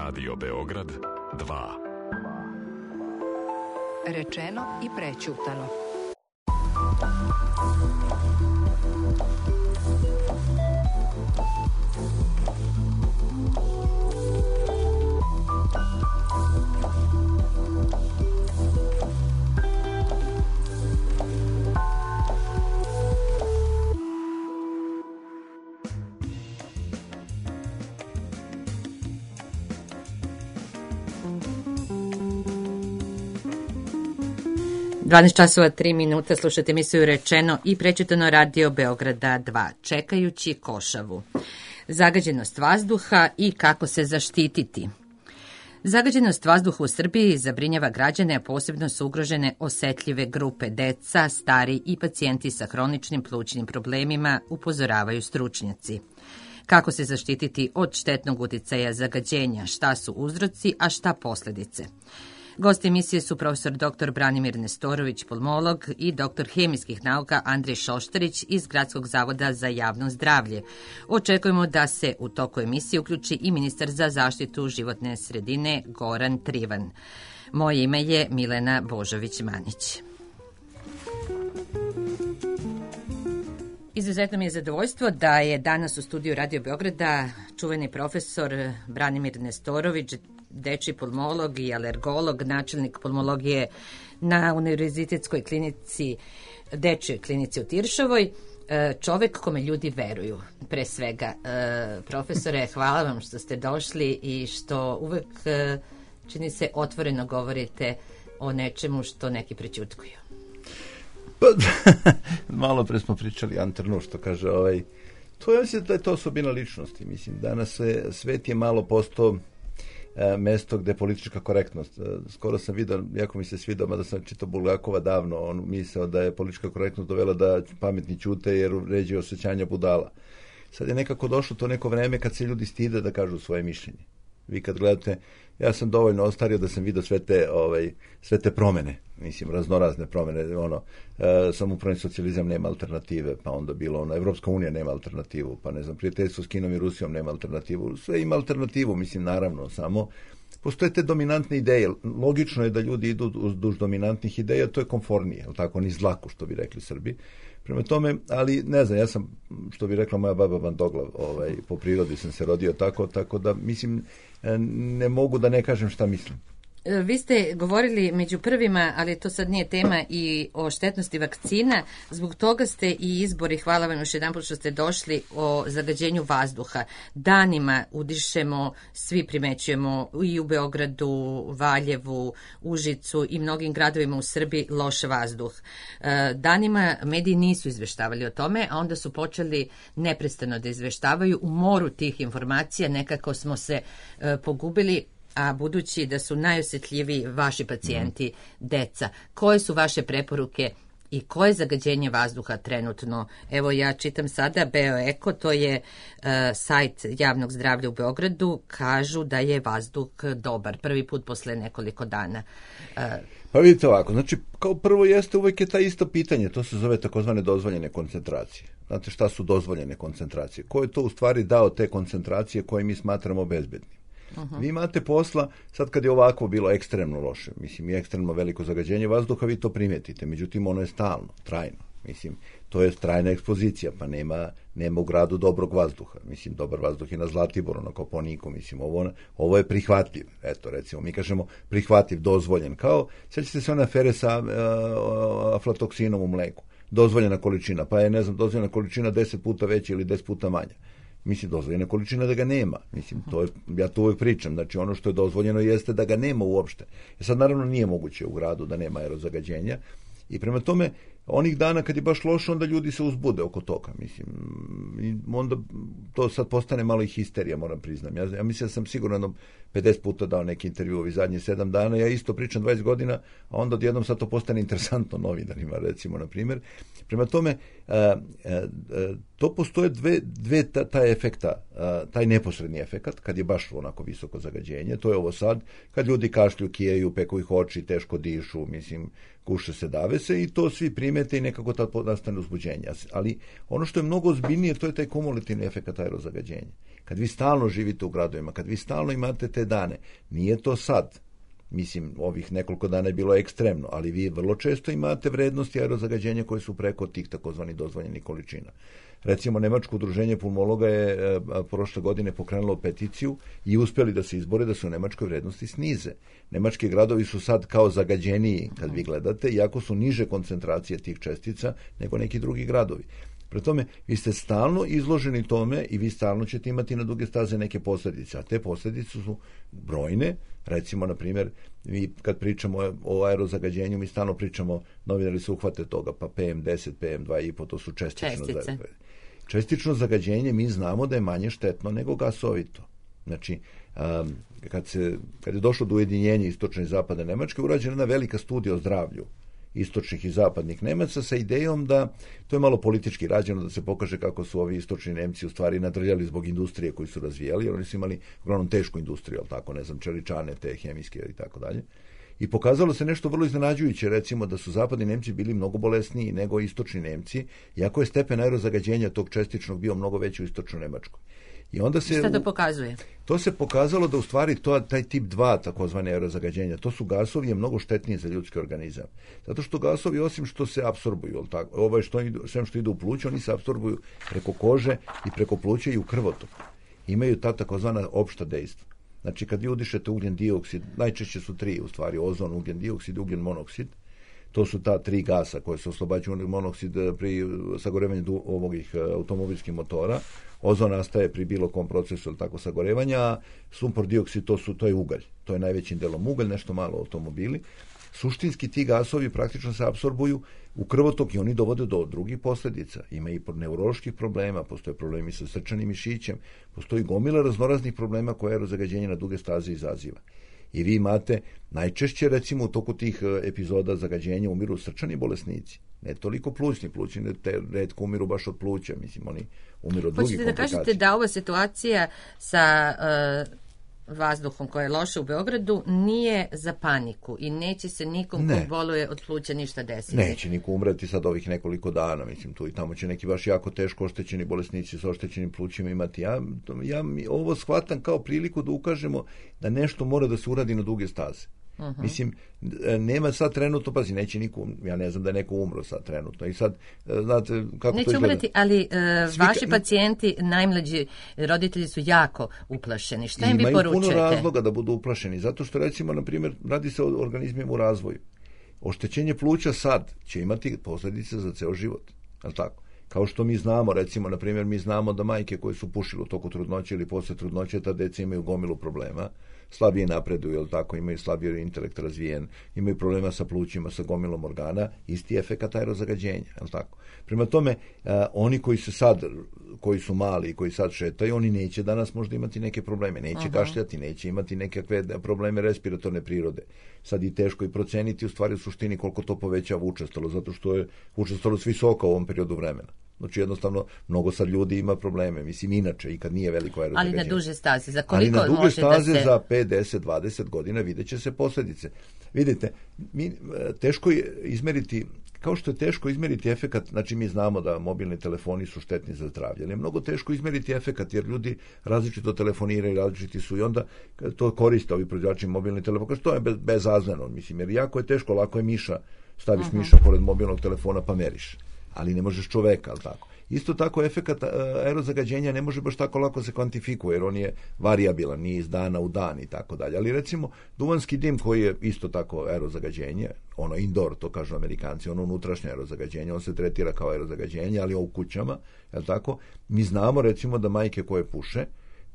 Radio Beograd 2. Rečeno i prećutano. Dvanaest časova 3 minuta, slušate emisiju Rečeno i prećutano Radio Beograda 2, čekajući košavu. Zagađenost vazduha i kako se zaštititi. Zagađenost vazduha u Srbiji zabrinjava građane, a posebno su ugrožene osetljive grupe deca, stari i pacijenti sa hroničnim plućnim problemima, upozoravaju stručnjaci. Kako se zaštititi od štetnog uticaja zagađenja, šta su uzroci, a šta posljedice? Gosti emisije su profesor dr. Branimir Nestorović, pulmolog, i dr. hemijskih nauka Andrej Šoštarić iz Gradskog zavoda za javno zdravlje. Očekujemo da se u toku emisije uključi i ministar za zaštitu životne sredine Goran Trivan. Moje ime je Milena Božović-Manić. Izuzetno mi je zadovoljstvo da je danas u studiju Radio Beograda čuveni profesor Branimir Nestorović, dečji pulmolog i alergolog, načelnik pulmologije na Univerzitetskoj klinici, dečjoj klinici u Tiršovoj, čovek kome ljudi veruju, pre svega. Profesore, hvala vam što ste došli i što uvek, čini se, otvoreno govorite o nečemu što neki prećutkuju. Pa, malo pre smo pričali Antrnu, što kaže to ja mislim da je to osobina ličnosti. Mislim, danas svet je malo postao mesto gde je politička korektnost. Skoro sam vidio, jako mi se svidao, mada sam čitao Bulgakova davno, on mislio da je politička korektnost dovela da pametni ćute jer ređe osjećanja budala. Sad je nekako došlo to neko vreme kad se ljudi stide da kažu svoje mišljenje. Vi kad gledate, ja sam dovoljno ostario da sam vidio sve te promene, mislim, raznorazne promene, samoupravni socijalizam nema alternative, pa onda bilo Evropska unija nema alternativu, pa ne znam, prijateljstvo s Kinom i Rusijom nema alternativu, sve ima alternativu, mislim, naravno, samo postoje te dominantne ideje. Logično je da ljudi idu duž dominantnih ideja, to je komfornije, ali tako, ni zlaku, što bi rekli Srbi. Prema tome, ali ne znam, ja sam, što bi rekla moja baba Bandoglav, po prirodi sam se rodio tako da, mislim, ne mogu da ne kažem šta mislim. Vi ste govorili među prvima, ali to sad nije tema, i o štetnosti vakcina. Zbog toga ste i izbori, hvala vam još jedanput što ste došli, o zagađenju vazduha. Danima udišemo, svi primećujemo i u Beogradu, Valjevu, Užicu i mnogim gradovima u Srbiji loš vazduh. Danima mediji nisu izveštavali o tome, a onda su počeli neprestano da izveštavaju. U moru tih informacija nekako smo se pogubili, a budući da su najosjetljiviji vaši pacijenti, deca, koje su vaše preporuke i koje zagađenje vazduha trenutno? Evo, ja čitam sada BioEko, to je sajt javnog zdravlja u Beogradu, kažu da je vazduh dobar, prvi put posle nekoliko dana. Pa vidite ovako, znači, kao prvo uvek je ta isto pitanje, to se zove takozvane dozvoljene koncentracije. Znate šta su dozvoljene koncentracije? Ko je to u stvari dao te koncentracije koje mi smatramo bezbednim? Vi imate posla, sad kad je ovako bilo ekstremno loše, mislim, i ekstremno veliko zagađenje vazduha, vi to primetite, međutim ono je stalno, trajno, mislim, to je trajna ekspozicija, pa nema u gradu dobrog vazduha, mislim, dobar vazduh je na Zlatiboru, na Koponiku, mislim, ovo je prihvatljiv, eto, recimo, mi kažemo prihvatljiv, dozvoljen, kao, sjećate se one afere sa aflatoksinom u mleku, dozvoljena količina, pa je, ne znam, dozvoljena količina 10 puta veća ili 10 puta manja. Mislim, dozvoljena količina da ga nema. Mislim, ja to uvijek pričam. Znači, ono što je dozvoljeno jeste da ga nema uopšte. Sad, naravno, nije moguće u gradu da nema aerozagađenja. I prema tome, onih dana kad je baš loše, onda ljudi se uzbude oko toga. Mislim, i onda to sad postane malo i histerija, moram priznam. Ja mislim da sam sigurno 50 puta dao neki intervju ovih zadnjih 7 dana. Ja isto pričam 20 godina, a onda odjednom sad to postane interesantno novinarima, recimo, na primjer. Prema tome, to postoje dve taj efekta, taj neposredni efekat, kad je baš onako visoko zagađenje, to je ovo sad, kad ljudi kašlju, kijeju, peku ih oči, teško dišu, mislim, kuše se, dave se, i to svi primete i nekako tad nastane uzbuđenje. Ali ono što je mnogo ozbiljnije, to je taj kumulativni efekat aerozagađenja. kad vi stalno živite u gradovima, kad vi stalno imate te dane, nije to sad. Mislim, ovih nekoliko dana je bilo ekstremno, ali vi vrlo često imate vrednosti aerozagađenja koje su preko tih takozvanih dozvoljenih količina. Recimo, Nemačko udruženje pulmologa je prošle godine pokrenulo peticiju i uspjeli da se izbore da se u Nemačkoj vrednosti snize. Nemački gradovi su sad kao zagađeniji, kad vi gledate, iako su niže koncentracije tih čestica nego neki drugi gradovi. Pre tome, vi ste stalno izloženi tome i vi stalno ćete imati na duge staze neke posljedice, a te posljedice su brojne. Recimo, na primjer, mi kad pričamo o aerozagađenju, mi stalno pričamo, novinari se uhvate toga, pa PM10, PM2,5, to su čestično zagađenje, mi znamo da je manje štetno nego gasovito. Znači, kad je došlo do ujedinjenja istočne i zapadne Nemačke, urađena jedna velika studija o zdravlju istočnih i zapadnih Nemaca sa idejom da, to je malo politički rađeno, da se pokaže kako su ovi istočni Nemci u stvari nadrljali zbog industrije koju su razvijali, jer oni su imali uglavnom tešku industriju, ali tako, ne znam, čeličane, te hemijske i tako dalje. I pokazalo se nešto vrlo iznenađujuće, recimo da su zapadni Nemci bili mnogo bolesniji nego istočni Nemci, iako je stepen aerozagađenja tog čestičnog bio mnogo veći u istočnoj Nemačkoj. I onda se, šta to pokazuje? To se pokazalo da u stvari taj tip 2 takozvane aerozagađenja, to su gasovi je mnogo štetniji za ljudski organizam. Zato što gasovi, osim što se apsorbuju, sve što ide u pluće, oni se apsorbuju preko kože i preko pluća i u krvotok. Imaju ta takozvana opšta dejstva. Znači, kad vi udišete ugljen dioksid, najčešće su 3 u stvari, ozon, ugljen dioksid i ugljen monoksid. To su ta 3 gasa koje se oslobađaju. Ugljen monoksid pri sagorevanju ovih automobilskih motora, ozon nastaje pri bilo kom procesu tako sagorevanja, a sumpor dioksid to je ugalj. To je najvećim delom ugalj, nešto malo automobili. Suštinski ti gasovi praktično se apsorbuju u krvotok i oni dovode do drugih posljedica. Ima i neuroloških problema, postoje problemi sa srčanim mišićem, postoji gomila raznoraznih problema koje aerozagađenje na duge staze izaziva. I vi imate najčešće, recimo, u toku tih epizoda zagađenja umiru srčani bolesnici. Ne toliko plućni retko umiru baš od pluća, mislim, oni umiru od drugih komplikacija. Hoćete da kažete da ova situacija sa vazduhom koja je loša u Beogradu nije za paniku i neće se nikom ko boluje od pluća ništa desiti? Neće niko umreti sad ovih nekoliko dana, mislim, tu i tamo će neki baš jako teško oštećeni bolesnici sa oštećenim plućima imati. Ja ovo shvatam kao priliku da ukažemo da nešto mora da se uradi na duge staze. Uh-huh. Mislim, nema sad trenutno, pazi, neće niko, ja ne znam da je neko umro sad trenutno i sad, znate kako neće to izgleda. Umreti, ali vaši pacijenti, najmlađi roditelji su jako uplašeni. Šta im vi poručujete? Imaju puno razloga da budu uplašeni, zato što, recimo, na primjer, radi se o organizmima u razvoju. Oštećenje pluća sad će imati posljedice za ceo život, je li tako? Kao što mi znamo, recimo, na primjer, mi znamo da majke koje su pušile u toku trudnoće ili posle trudnoće, ta deca imaju gomilu problema, slabije napreduju, jel tako, imaju slabiji intelekt razvijen, imaju problema sa plućima, sa gomilom organa, isti efekat aerozagađenja, jel tako. Prema tome, oni koji su mali i koji sad šetaju, oni neće danas možda imati neke probleme, neće kašljati, neće imati nekakve probleme respiratorne prirode. Sad je teško i proceniti u stvari u suštini koliko to povećava učestalo, zato što je učestalost visoka u ovom periodu vremena. Znači, jednostavno, mnogo sad ljudi ima probleme, mislim, inače, i kad nije veliko aerozagađenje. Ali na duže staze, za koliko može da se... Ali na duge staze za 5, 10, 20 godina vidjet će se posljedice. Vidite, teško je izmeriti, kao što je teško izmeriti efekat, znači mi znamo da mobilni telefoni su štetni za zdravlje, ali je mnogo teško izmeriti efekat, jer ljudi različito telefoniraju, različiti su i onda to koriste ovi proizvođači mobilni telefon, što je bezazleno, mislim, jer jako je teško, lako je miša, staviš miša pored mobilnog telefona pa meriš. Ali ne možeš čoveka, ali tako. Isto tako, efekat aerozagađenja ne može baš tako lako se kvantifikuje, jer on je varijabilan, nije iz dana u dan i tako dalje. Ali recimo, duvanski dim koji je isto tako aerozagađenje, ono indoor, to kažu Amerikanci, ono unutrašnje aerozagađenje, on se tretira kao aerozagađenje, ali u kućama, je li tako? Mi znamo, recimo, da majke koje puše,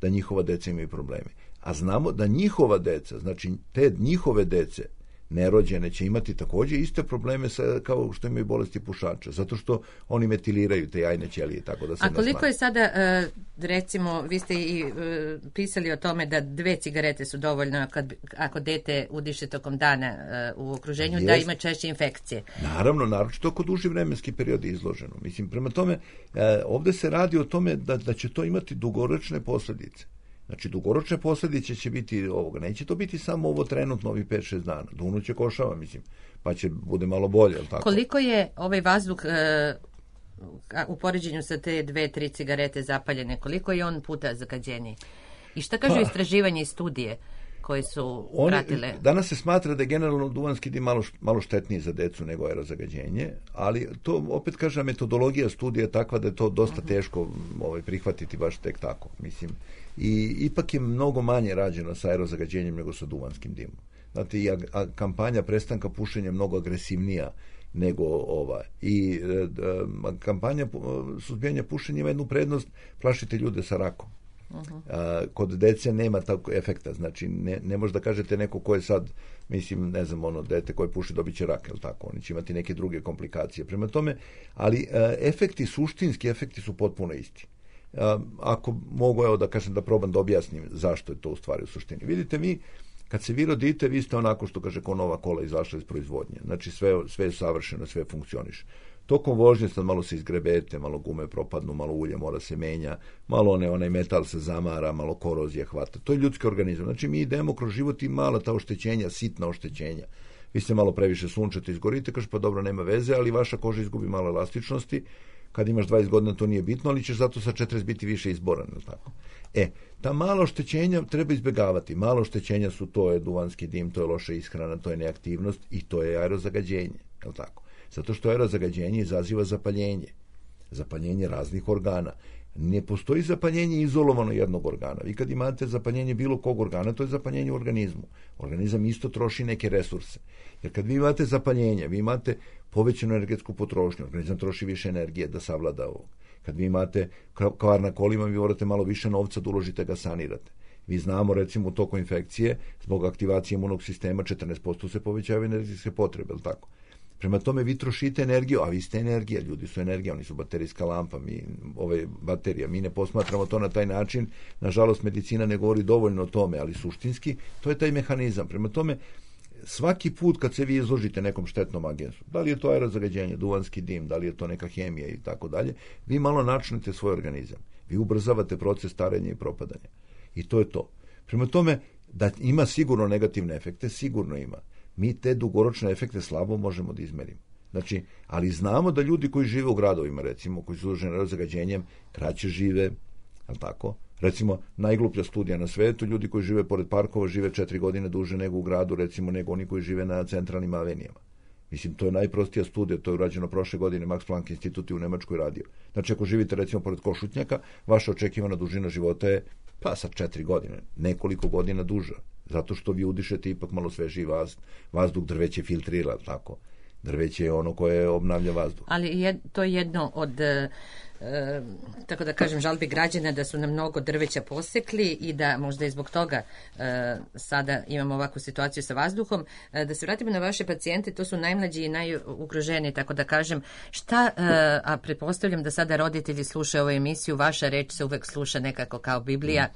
da njihova deca imaju probleme. A znamo da njihova deca, znači te njihove dece, nerođene, će imati također iste probleme kao što imaju bolesti pušača, zato što oni metiliraju te jajne ćelije, tako da se... A koliko je sada, recimo, vi ste i pisali o tome da 2 cigarete su dovoljno ako dete udiše tokom dana u okruženju, da ima češće infekcije. Naravno, naročito ako duži vremenski period je izloženo. Mislim, prema tome, ovdje se radi o tome da će to imati dugoročne posljedice. Znači, dugoročne posljedice će biti ovoga. Neće to biti samo ovo trenutno, ovih 5-6 dana. Dunuće košava, mislim, pa će bude malo bolje, jel tako? Koliko je ovaj vazduh u poređenju sa te 2-3 cigarete zapaljene, koliko je on puta zagađeniji? I šta kažu istraživanje i studije koje su pratile? Danas se smatra da je generalno duvanski dim malo štetniji za decu nego aerozagađenje, ali to opet kažem, metodologija studija je takva da je to dosta teško prihvatiti baš tek tako, mislim. I ipak je mnogo manje rađeno sa aerozagađenjem nego sa duvanskim dimom. Znate, i kampanja prestanka pušenja je mnogo agresivnija nego ova. I kampanja suzbijanja pušenja ima jednu prednost, plašite ljude sa rakom. Kod dece nema takvog efekta, znači ne može da kažete neko ko je sad, mislim, ne znam, dete koje puši dobit će rak, je li tako? Oni će imati neke druge komplikacije. Prema tome, ali suštinski efekti su potpuno isti. Ako mogu, da kažem, da probam da objasnim zašto je to u stvari u suštini. Vidite, kad se vi rodite, vi ste onako što kaže ko nova kola izašla iz proizvodnje. Znači sve je savršeno, sve funkcioniše. Tokom vožnje sad malo se izgrebete, malo gume propadnu, malo ulje mora se menja, malo onaj metal se zamara, malo korozija hvata. To je ljudski organizam. Znači mi idemo kroz život i mala ta oštećenja, sitna oštećenja. Vi ste malo previše sunčate, izgorite, kaže pa dobro, nema veze, ali vaša koža izgubi malo elastičnosti. Kad imaš 20 godina to nije bitno, ali ćeš zato sa 40 biti više izboran, je li tako? Ta malo oštećenja treba izbjegavati. Malo oštećenja su, to je duvanski dim, to je loša ishrana, to je neaktivnost i to je aerozagađenje, je li tako? Zato što aerozagađenje izaziva zapaljenje raznih organa. Ne postoji zapaljenje izolovano jednog organa. Vi kad imate zapaljenje bilo kog organa, to je zapaljenje u organizmu. Organizam isto troši neke resurse. Jer kad vi imate zapaljenje, vi imate povećanu energetsku potrošnju, organizam troši više energije da savlada ovo. Kad vi imate kvar na kolima, vi morate malo više novca da uložite ga sanirate. Vi znamo, recimo, u toku infekcije, zbog aktivacije imunog sistema, 14% se povećavaju energetske potrebe, je li tako? Prema tome vi trošite energiju, a vi ste energija, ljudi su energija, oni su baterijska lampa, baterija, mi ne posmatramo to na taj način, nažalost medicina ne govori dovoljno o tome, ali suštinski to je taj mehanizam. Prema tome, svaki put kad se vi izložite nekom štetnom agensu, da li je to aerozagađenje, duvanski dim, da li je to neka hemija i tako dalje, vi malo načinite svoj organizam, vi ubrzavate proces starenja i propadanja. I to je to. Prema tome, da ima sigurno negativne efekte, sigurno ima. Mi te dugoročne efekte slabo možemo da izmerimo. Znači, ali znamo da ljudi koji žive u gradovima, recimo, koji su izloženi aerozagađenjem, kraće žive, je li tako? Recimo, najgluplja studija na svetu, ljudi koji žive pored parkova žive 4 godine duže nego u gradu, recimo, nego oni koji žive na centralnim avenijama. Mislim, to je najprostija studija, to je urađeno prošle godine, Max Planck institut u Nemačkoj radio. Znači, ako živite, recimo, pored Košutnjaka, vaša očekivana dužina života je, sa 4 godine, nekoliko godina duža. Zato što vi udišete ipak malo sveži vazduh, drveće filtrira, tako. Drveće je ono koje obnavlja vazduh. Ali to je jedno od, tako da kažem, žalbi građana da su nam mnogo drveća posekli i da možda i zbog toga sada imamo ovakvu situaciju sa vazduhom. Da se vratimo na vaše pacijente, to su najmlađi i najugroženiji, tako da kažem. Šta, a pretpostavljam da sada roditelji slušaju ovu emisiju, vaša reč se uvek sluša nekako kao Biblija.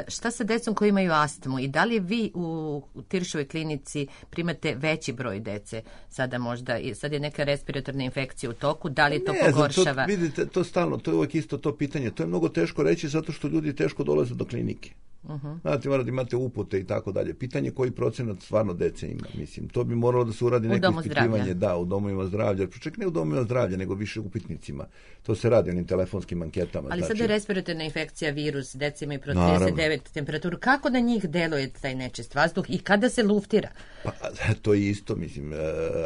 Šta sa decom koji imaju astmu i da li vi u Tiršovoj klinici primate veći broj dece sada možda, sad je neka respiratorna infekcija u toku, da li to pogoršava? Vidite, to stalno, to je uvijek isto to pitanje, to je mnogo teško reći zato što ljudi teško dolaze do klinike. Znate, morate imate upute i tako dalje. Pitanje koji procenat stvarno dece ima, mislim. To bi moralo da se uradi neko ispitivanje. Da, u domovima zdravlja. Čak ne u domovima zdravlja, nego više upitnicima. To se radi onim telefonskim anketama. Ali sada je respiratorna infekcija, virus, deca imaju pro 39 temperaturu. Kako na njih deluje taj nečist vazduh i kada se luftira? Pa, to je isto, mislim.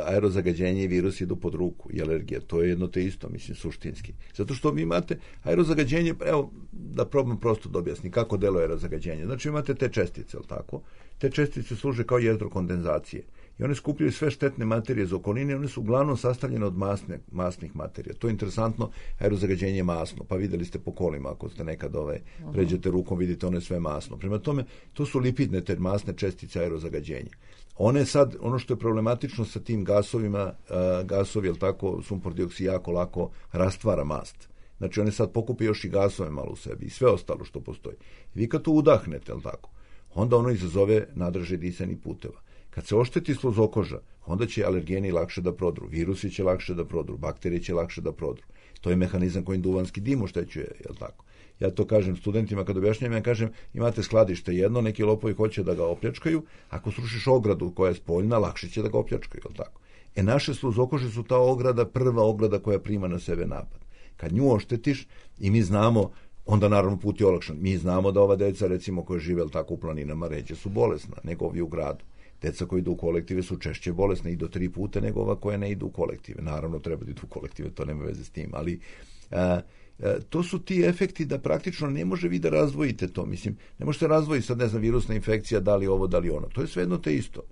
Aerozagađenje i virus idu pod ruku i alergija. To je jedno te isto, mislim, suštinski. Zato što vi imate aerozagađenje, evo, da probam prosto da objasnim kako deluje aerozagađenje. Znači imate te čestice, ali tako? Te čestice služe kao jezgro kondenzacije. I one skupljaju sve štetne materije iz okoline, one su uglavnom sastavljene od masnih materija. To je interesantno, aerozagađenje je masno, pa videli ste po kolima, ako ste nekad pređete rukom, vidite ono je sve masno. Prema tome, to su lipidne te masne čestice aerozagađenja. One sad, ono što je problematično sa tim gasovima, gasovi, jel tako, sumpor dioksid jako lako rastvara mast. Znači, one sad pokupe još i gasove malo u sebi i sve ostalo što postoji. Vi kad to udahnete, jel tako, onda ono izazove nadražaj disanih puteva. Kad se ošteti sluzokoža, onda će alergeni lakše da prodru, virusi će lakše da prodru, bakterije će lakše da prodru. To je mehanizam kojim duvanski dim oštećuje, jel tako? Ja to kažem studentima kad objašnjam, ja kažem, imate skladište jedno, neki lopovi hoće da ga opljačkaju, ako srušiš ogradu koja je spoljna, lakše će da ga opljačkaju, jel tako? Naše sluzokože su ta ograda, prva ograda koja prima na sebe napad. Kad nju oštetiš i mi znamo, onda naravno put je olakšan. Mi znamo da ova deca, recimo, koja žive tako u planinama, ređe su bolesna nego ovi u gradu. Deca koji idu u kolektive su češće bolesne i do 3 puta nego ova koja ne idu u kolektive. Naravno, treba da idu u kolektive, to nema veze s tim, ali to su ti efekti da praktično ne može vi da razdvojite to. Mislim, ne možete razdvojiti sad, ne znam, virusna infekcija, da li ovo, da li ono. To je svejedno te isto.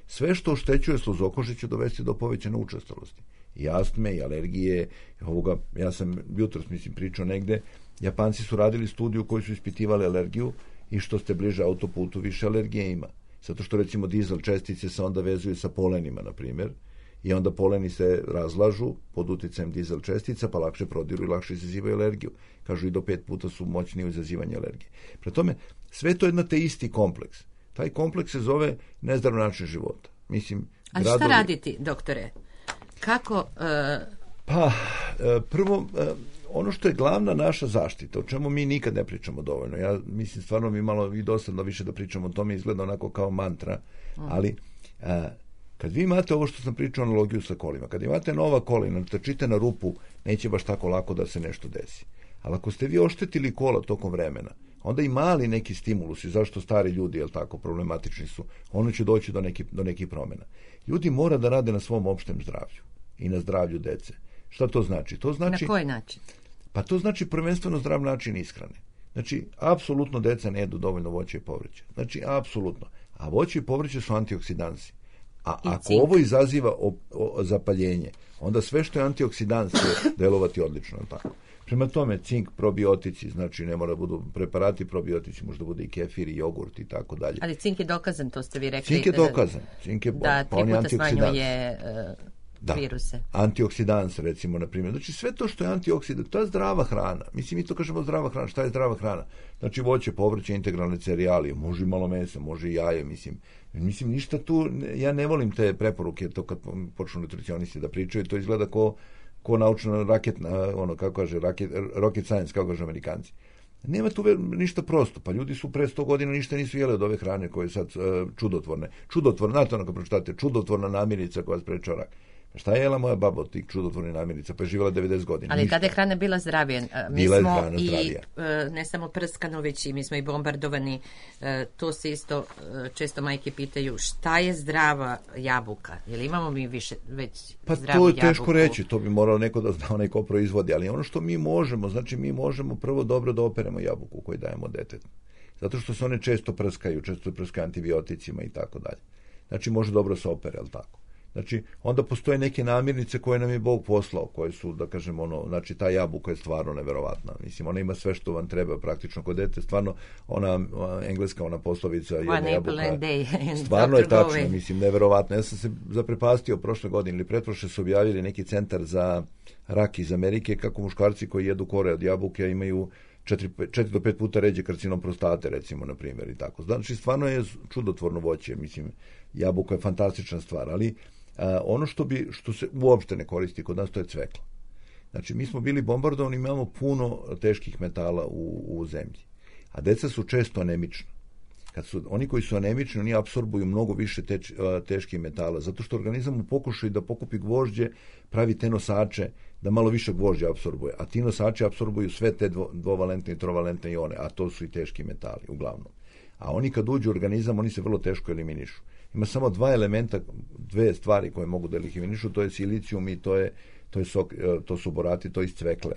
Sve što oštećuje sluzokože će dovesti do povećane učestalosti. I astme, i alergije, ovoga, ja sam jutros, pričao negde, Japanci su radili studiju koji su ispitivali alergiju i što ste bliže autoputu, više alergije ima. Zato što, recimo, dizel čestice se onda vezuju sa polenima, na primjer, i onda poleni se razlažu pod uticajem dizel čestica, pa lakše prodiru i lakše izazivaju alergiju. Kažu i do 5 puta su moćni u izazivanju alergije. Prema tome, sve to je te isti kompleks. Taj kompleks se zove nezdrav način života. Mislim, ali šta raditi, doktore? Kako... Prvo, ono što je glavna naša zaštita, o čemu mi nikad ne pričamo dovoljno. Ja mislim, stvarno mi malo i dosadno više da pričamo o tome, izgleda onako kao mantra, ali kad vi imate ovo što sam pričao, analogiju sa kolima, kad imate nova kola i natrčite na rupu, neće baš tako lako da se nešto desi. Ali ako ste vi oštetili kola tokom vremena, onda i mali neki stimulusi, zašto stari ljudi, jel tako, problematični su, ono će doći do nekih promjena. Ljudi mora da rade na svom opštem zdravlju i na zdravlju dece. Šta to znači? To znači... Na koji način? Pa to znači prvenstveno zdrav način ishrane. Znači, apsolutno deca ne jedu dovoljno voća i povrća. Znači, apsolutno. A voće i povrće su antioksidansi. A ako ovo izaziva zapaljenje, onda sve što je antioksidans će delovati odlično, tako. Prema tome, cink, probiotici, znači ne mora da budu preparati probiotici, možda bude i kefir i jogurt i tako dalje. Ali cink je dokazan, to ste vi rekli. Cink je dokazan. Cink je, da 3 puta smanjuje viruse. Antioksidans, recimo, na primjer. Znači, sve to što je antioksidans, to je zdrava hrana. Mislim, mi to kažemo zdrava hrana. Šta je zdrava hrana? Znači, voće, povrće, integralne cerealije, može i malo mesa, može i jaje, mislim, ništa tu, ja ne volim te preporuke, to kad počnu nutricionisti da pričaju, to izgleda ko naučna raketna, ono, kako kaže, rocket science, kako kaže Amerikanci. Nema tu ništa prosto, pa ljudi su pre 100 godina ništa nisu jeli od ove hrane koje je sad čudotvorne. Znate ono kad pročitate, čudotvorna namirnica koja sprečava rak. Šta je jela moja baba od tih čudotvornih namirnica? Pa je živjela 90 godina. Ali ništa. tada je hrana bila zdravija. Mi smo i ne samo prskano, već i mi smo i bombardovani. To se isto često majke pitaju šta je zdrava jabuka? Jel imamo mi već zdravu jabuku? Pa to je teško reći, to bi morao neko da zna, onaj ko proizvodi, ali ono što mi možemo, znači mi možemo prvo dobro da operemo jabuku koju dajemo detetu. Zato što se one često prskaju antibioticima i tako dalje. Znači može dobro se opere, ali tako. Znači, onda postoje neke namirnice koje nam je Bog poslao, koje su, da kažem, znači ta jabuka je stvarno neverovatna. Mislim, ona ima sve što vam treba praktično kod dete. Stvarno, ona engleska, ona poslovica, jedna jabuka, stvarno je tačno, mislim, neverovatna. Ja sam se zaprepastio prošle godine ili pretprošle su objavili neki centar za rak iz Amerike, kako muškarci koji jedu kore od jabuke imaju 4 do 5 puta ređe karcinom prostate, recimo, na primjer, i tako. Znači, stvarno je čudotvorno voće, mislim, jabuka je fantastična stvar, ali ono što se uopšte ne koristi kod nas, to je cvekla. Znači, mi smo bili bombardovani, imamo puno teških metala u zemlji. A deca su često anemična. Oni koji su anemični, oni apsorbuju mnogo više teških metala, zato što organizam u pokušaju da pokupi gvožđe, pravi te nosače, da malo više gvožđa apsorbuje. A ti nosači apsorbuju sve te dvovalentne i trovalentne ione, a to su i teški metali, uglavnom. A oni kad uđu u organizam, oni se vrlo teško eliminišu. Ima samo 2 elementa, 2 stvari koje mogu da eliminišu, to je silicijum i to su borati, to iz cvekle.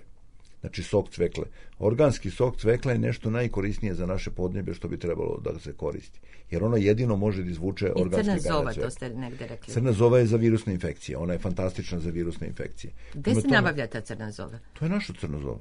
Znači sok cvekle. Organski sok cvekla je nešto najkorisnije za naše podneblje što bi trebalo da se koristi. Jer ono jedino može da izvuče organske gane cvekle. I crna zova, to ste negde rekli. Crna zova je za virusne infekcije. Ona je fantastična za virusne infekcije. Gde se nabavlja ta crna zova? To je naša crna zova.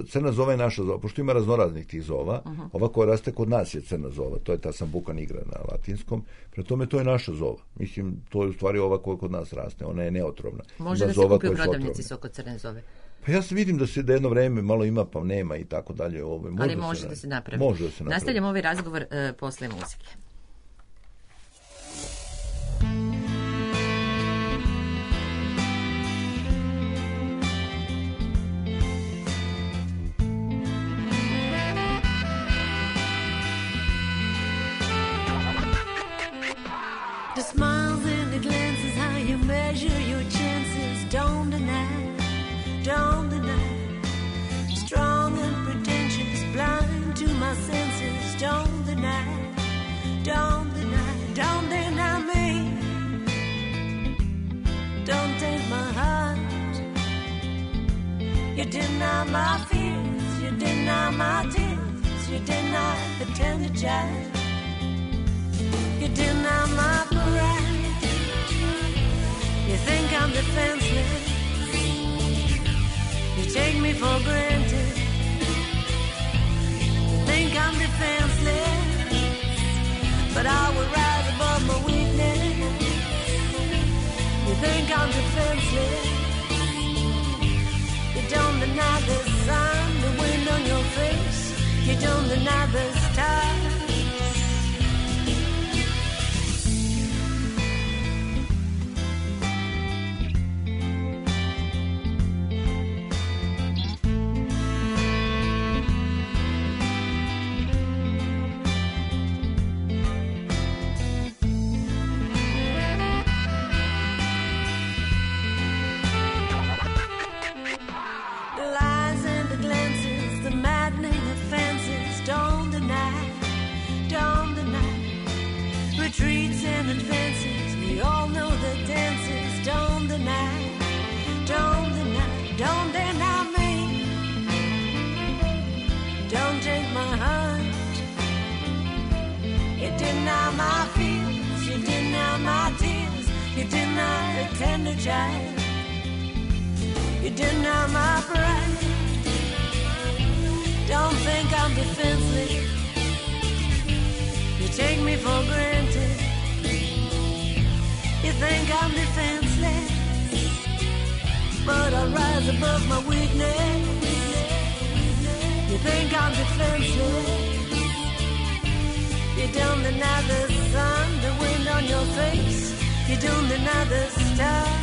Crna zova je naša zova. Pošto ima raznoraznih tih zova, ova koja raste kod nas je crna zova. To je ta sambuca nigra na latinskom. Pre tome to je naša zova. Mislim, to je u stvari ova koja kod nas raste. Ona je neotrovna. Može da se kupi u prodavnici sok od crne zove? Pa ja se vidim da jedno vreme malo ima, pa nema i tako dalje. Ali može da se napravi. Može da se napravi. Nastavljamo ovaj razgovor posle muzike. The smiles and the glances, how you measure your chances. Don't deny You deny my fears, you deny my tears, you deny the tender child. You deny my pride. You think I'm defenseless. You take me for granted. You think I'm defenseless, but I will rise above my weakness. You think I'm defenseless. You don't deny the sun, the wind on your face. You don't deny the stars. Retreats and advances, we all know the dances. Don't deny, don't deny, don't deny me. Don't take my heart. You deny my fears, you deny my tears, you deny a tender child. You deny my pride. Don't think I'm defenseless. You take me for granted. You think I'm defenseless, but I rise above my weakness. You think I'm defenseless. You don't deny the sun, the wind on your face. You don't deny the stars.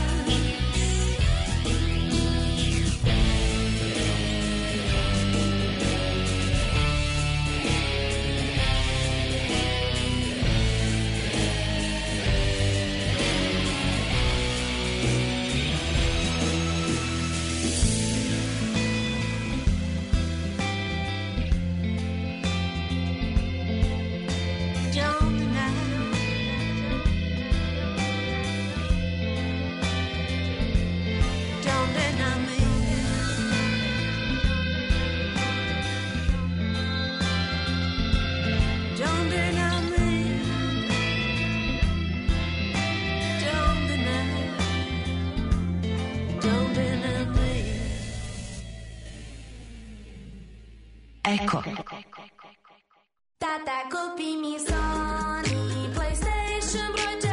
Eko. Tata, kupi mi Sony PlayStation broj 4.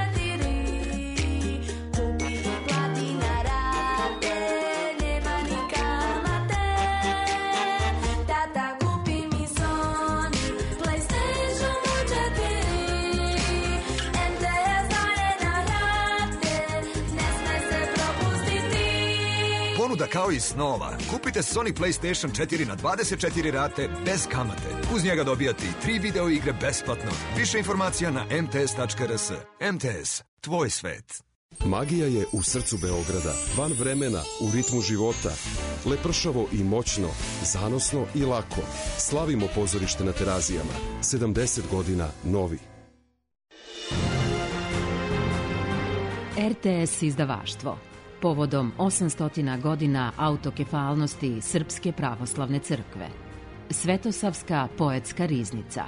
Kupi i plati na rate, nema ni kamate. Tata, kupi mi Sony PlayStation broj 4. MTS daje na rate, ne sme se propustiti. Ponuda kao i snova. Kupite Sony PlayStation 4 na 24 rate bez kamate. Uz njega dobijate i 3 video igre besplatno. Više informacija na mts.rs. MTS, tvoj svet. Magija je u srcu Beograda, van vremena, u ritmu života. Lepršavo i moćno, zanosno i lako. Slavimo pozorište na Terazijama. 70 godina novi. RTS izdavaštvo. Povodom 800 godina autokefalnosti Srpske pravoslavne crkve. Svetosavska poetska riznica.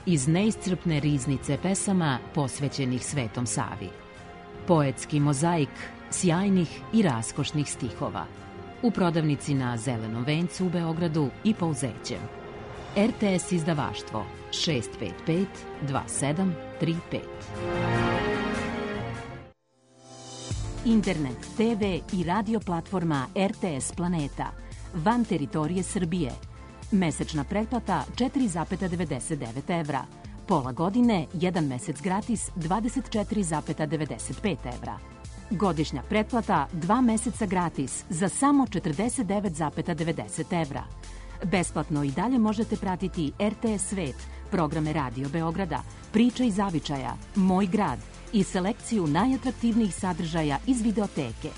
Iz neiscrpne riznice pesama posvećenih Svetom Savi. Poetski mozaik sjajnih i raskošnih stihova. U prodavnici na Zelenom vencu u Beogradu i Pouzećem. RTS izdavaštvo 655 2735. Internet, TV i radio platforma RTS Planeta. Van teritorije Srbije. Mesečna pretplata 4,99 evra. Pola godine, 1 mesec gratis 24,95 evra. Godišnja pretplata 2 meseca gratis za samo 49,90 evra. Besplatno i dalje možete pratiti RTS Svet, programe Radio Beograda, Priče iz zavičaja, Moj grad i selekciju najatraktivnijih sadržaja iz videoteke.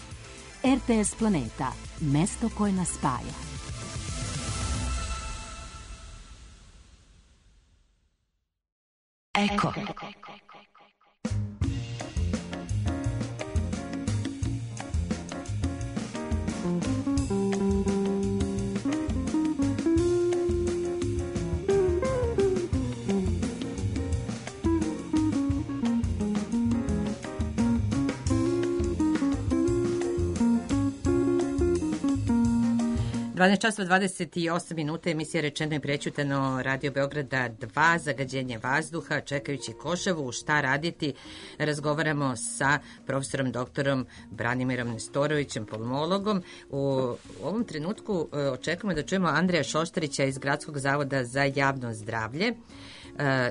RTS Planeta, mesto koje nas spaja. Eko. 12 časova 28 minuta, emisija Rečeno i prećutano, Radio Beograda 2, zagađenje vazduha, čekajući košavu, šta raditi. Razgovaramo sa profesorom doktorom Branimirom Nestorovićem, pulmologom. U ovom trenutku očekujemo da čujemo Andreja Šoštarića iz Gradskog zavoda za javno zdravlje.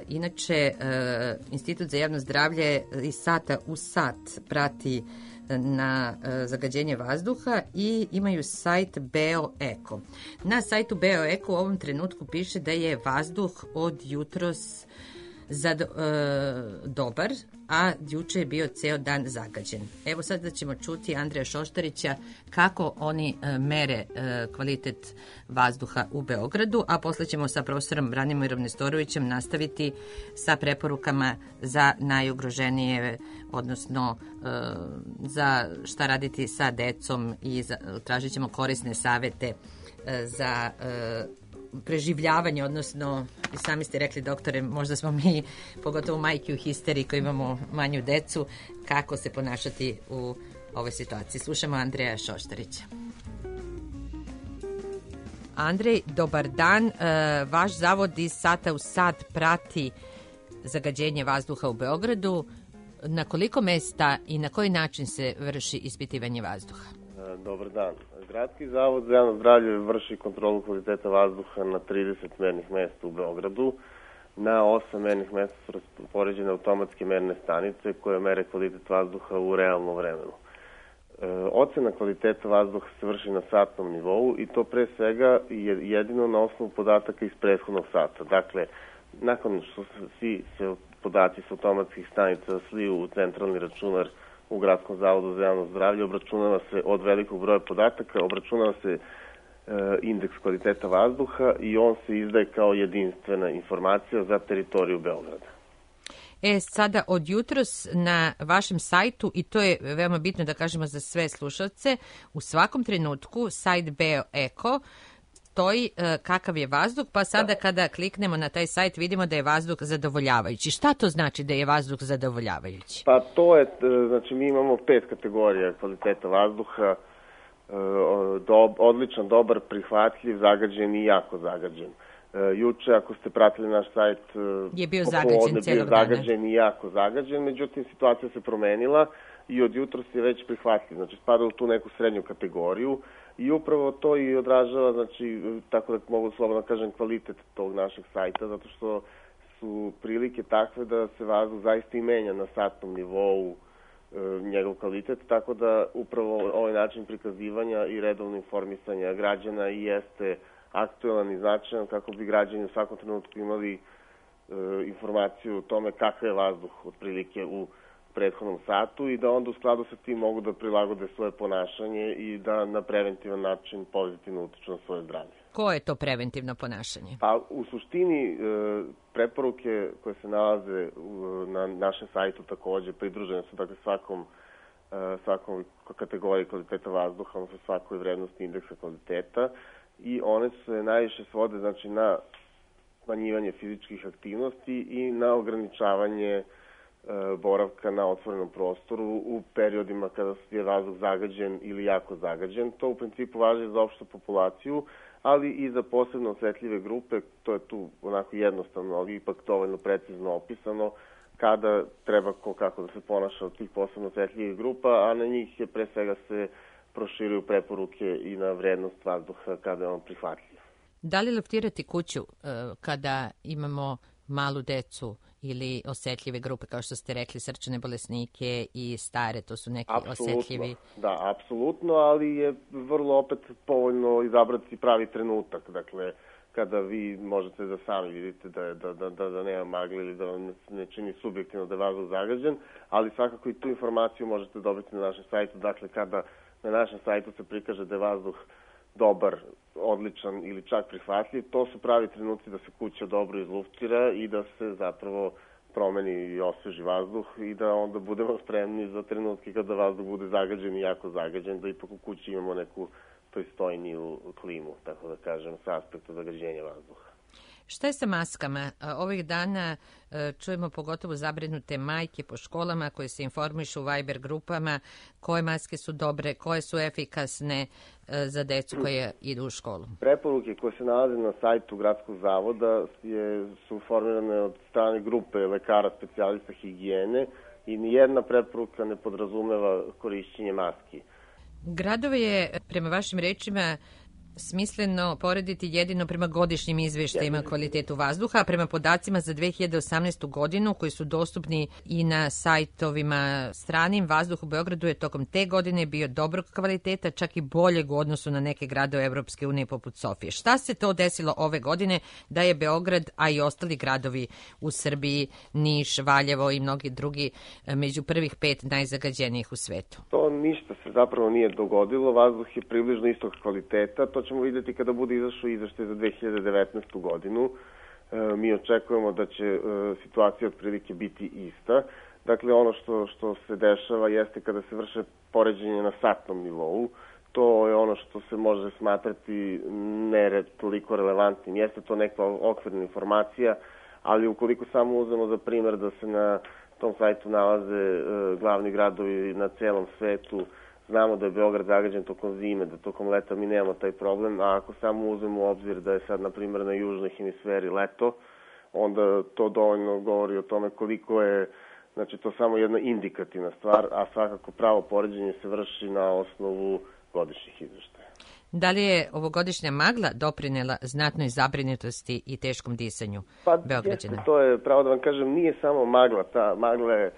Inače, Institut za javno zdravlje iz sata u sat prati na zagađenje vazduha i imaju sajt BeoEko. Na sajtu BeoEko u ovom trenutku piše da je vazduh od jutros dobar, a juče je bio ceo dan zagađen. Evo sad da ćemo čuti Andreja Šoštarića kako oni mere kvalitet vazduha u Beogradu, a posle ćemo sa profesorom Branimirom Nestorovićem nastaviti sa preporukama za najugroženije, odnosno za šta raditi sa decom i tražit ćemo korisne savete za preživljavanje, odnosno, i sami ste rekli, doktore, možda smo mi, pogotovo majke u histeriji koji imamo manju decu, kako se ponašati u ovoj situaciji. Slušamo Andreja Šoštarića. Andrej, dobar dan. Vaš zavod iz sata u sat prati zagađenje vazduha u Beogradu. Na koliko mesta i na koji način se vrši ispitivanje vazduha? Dobar dan. Gradski zavod za javno zdravlje vrši kontrolu kvaliteta vazduha na 30 mernih mesta u Beogradu. Na 8 mernih mesta su raspoređene automatske merne stanice koje mere kvalitet vazduha u realnom vremenu. Ocena kvaliteta vazduha se vrši na satnom nivou i to pre svega jedino na osnovu podataka iz prethodnog sata. Dakle, nakon što svi podaci s automatskih stanica sliju u centralni računar u Gradskom zavodu za javno zdravlje, obračunava se od velikog broja podataka, obračunava se indeks kvaliteta vazduha i on se izdaje kao jedinstvena informacija za teritoriju Beograda. Sada od jutros na vašem sajtu, i to je veoma bitno da kažemo za sve slušalce, u svakom trenutku sajt BeoEko stoji kakav je vazduh, pa sada kada kliknemo na taj sajt vidimo da je vazduh zadovoljavajući. Šta to znači da je vazduh zadovoljavajući? Pa to je, znači mi imamo 5 kategorija kvaliteta vazduha, odličan, dobar, prihvatljiv, zagađen i jako zagađen. Juče, ako ste pratili naš sajt, je bio zagađen cijelog dana. Zagađen i jako zagađen, međutim situacija se promenila i od jutros je već prihvatljiv. Znači spada u tu neku srednju kategoriju i upravo to i odražava, znači, tako da mogu slobodno kažem, kvalitet tog našeg sajta, zato što su prilike takve da se vazduh zaista i menja na satnom nivou, njegov kvalitet, tako da upravo ovaj način prikazivanja i redovno informisanja građana i jeste aktualan i značajan kako bi građani u svakom trenutku imali informaciju o tome kakav je vazduh otprilike u prethodnom satu i da onda u skladu sa tim mogu da prilagode svoje ponašanje i da na preventivan način pozitivno utiču na svoje zdravlje. Koje je to preventivno ponašanje? Pa u suštini preporuke koje se nalaze na našem sajtu takođe pridružene su dakle svakom kategoriji kvaliteta vazduha, odnosno svakoj vrednosti indeksa kvaliteta i one se najviše svode znači na smanjivanje fizičkih aktivnosti i na ograničavanje boravka na otvorenom prostoru u periodima kada je vazduh zagađen ili jako zagađen. To u principu važi za opštu populaciju, ali i za posebno osetljive grupe. To je tu onako jednostavno, ali ipak dovoljno precizno opisano kada treba kako da se ponaša od tih posebno osetljivih grupa, a na njih je pre svega se proširuju preporuke i na vrednost vazduha kada je on prihvatljiv. Da li luftirati kuću kada imamo malu decu ili osetljive grupe, kao što ste rekli, srčane bolesnike i stare, to su neki osetljivi? Da, apsolutno, ali je vrlo opet povoljno izabrati pravi trenutak. Dakle, kada vi možete da sami vidite da nema magle ili da vam ne čini subjektivno da je vazduh zagađen, ali svakako i tu informaciju možete dobiti na našem sajtu. Dakle, kada na našem sajtu se prikaže da je vazduh dobar, odličan ili čak prihvatljiv, to su pravi trenuci da se kuća dobro izluftira i da se zapravo promeni i osveži vazduh i da onda budemo spremni za trenutke kada vazduh bude zagađen i jako zagađen, da ipak u kući imamo neku pristojniju klimu, tako da kažem, sa aspekta zagađenja vazduha. Šta je sa maskama? Ovih dana čujemo pogotovo zabrinute majke po školama koje se informišu u Viber grupama koje maske su dobre, koje su efikasne za decu koje idu u školu. Preporuke koje se nalaze na sajtu Gradskog zavoda su formirane od strane grupe lekara specijalista higijene i nijedna preporuka ne podrazumeva korišćenje maski. Gradove je, prema vašim rečima, smisleno porediti jedino prema godišnjim izveštajima kvalitetu vazduha, a prema podacima za 2018. godinu koji su dostupni i na sajtovima stranim, vazduh u Beogradu je tokom te godine bio dobrog kvaliteta, čak i boljeg u odnosu na neke gradove Evropske unije poput Sofije. Šta se to desilo ove godine da je Beograd, a i ostali gradovi u Srbiji, Niš, Valjevo i mnogi drugi među prvih 5 najzagađenijih u svetu? To ništa se zapravo nije dogodilo, vazduh je približno istog kvaliteta, to ćemo vidjeti kada bude izašao izveštaj za 2019. godinu. Mi očekujemo da će situacija otprilike biti ista. Dakle, ono što se dešava jeste kada se vrše poređenje na satnom nivou. To je ono što se može smatrati ne toliko relevantnim. Jeste to neka okvirna informacija, ali ukoliko samo uzmemo za primjer da se na tom sajtu nalaze glavni gradovi na celom svetu, znamo da je Beograd zagađen tokom zime, da tokom leta mi nemamo taj problem, a ako samo uzmemo u obzir da je sad, na primjer, na južnoj hemisferi leto, onda to dovoljno govori o tome koliko je, znači to samo jedna indikativna stvar, a svakako pravo poređenje se vrši na osnovu godišnjih izveštaja. Da li je ovogodišnja magla doprinela znatnoj zabrinutosti i teškom disanju Beograđana? Jeste, to je, pravo da vam kažem, nije samo magla, ta magla je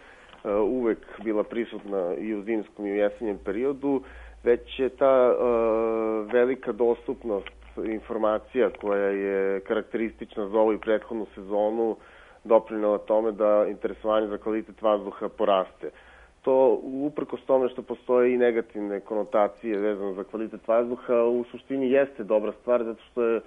uvek bila prisutna i u zimskom i u jesenjem periodu, već je ta velika dostupnost informacija koja je karakteristična za ovu i prethodnu sezonu doprinela tome da interesovanje za kvalitet vazduha poraste. To uprkos tome što postoje i negativne konotacije vezano za kvalitet vazduha, u suštini jeste dobra stvar, zato što je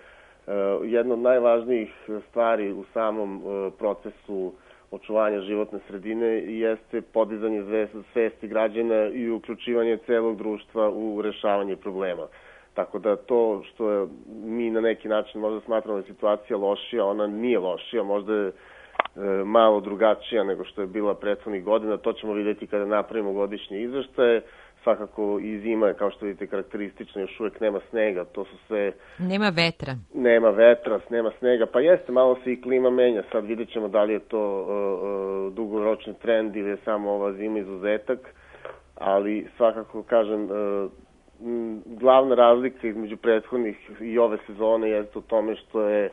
jedna od najvažnijih stvari u samom procesu očuvanja životne sredine jeste podizanje svesti građana i uključivanje celog društva u rešavanje problema. Tako da to što je, mi na neki način možda smatramo da je situacija lošija, ona nije lošija, možda je malo drugačija nego što je bila prethodnih godina. To ćemo vidjeti kada napravimo godišnje izveštaje. Svakako i zima je, kao što vidite, karakteristična, još uvijek nema snega, to su sve... Nema vetra. Nema vetra, nema snega, pa jeste, malo se i klima menja, sad vidjet ćemo da li je to dugoročni trend ili je samo ova zima izuzetak, ali svakako, kažem, glavna razlika između prethodnih i ove sezone jeste u tome što je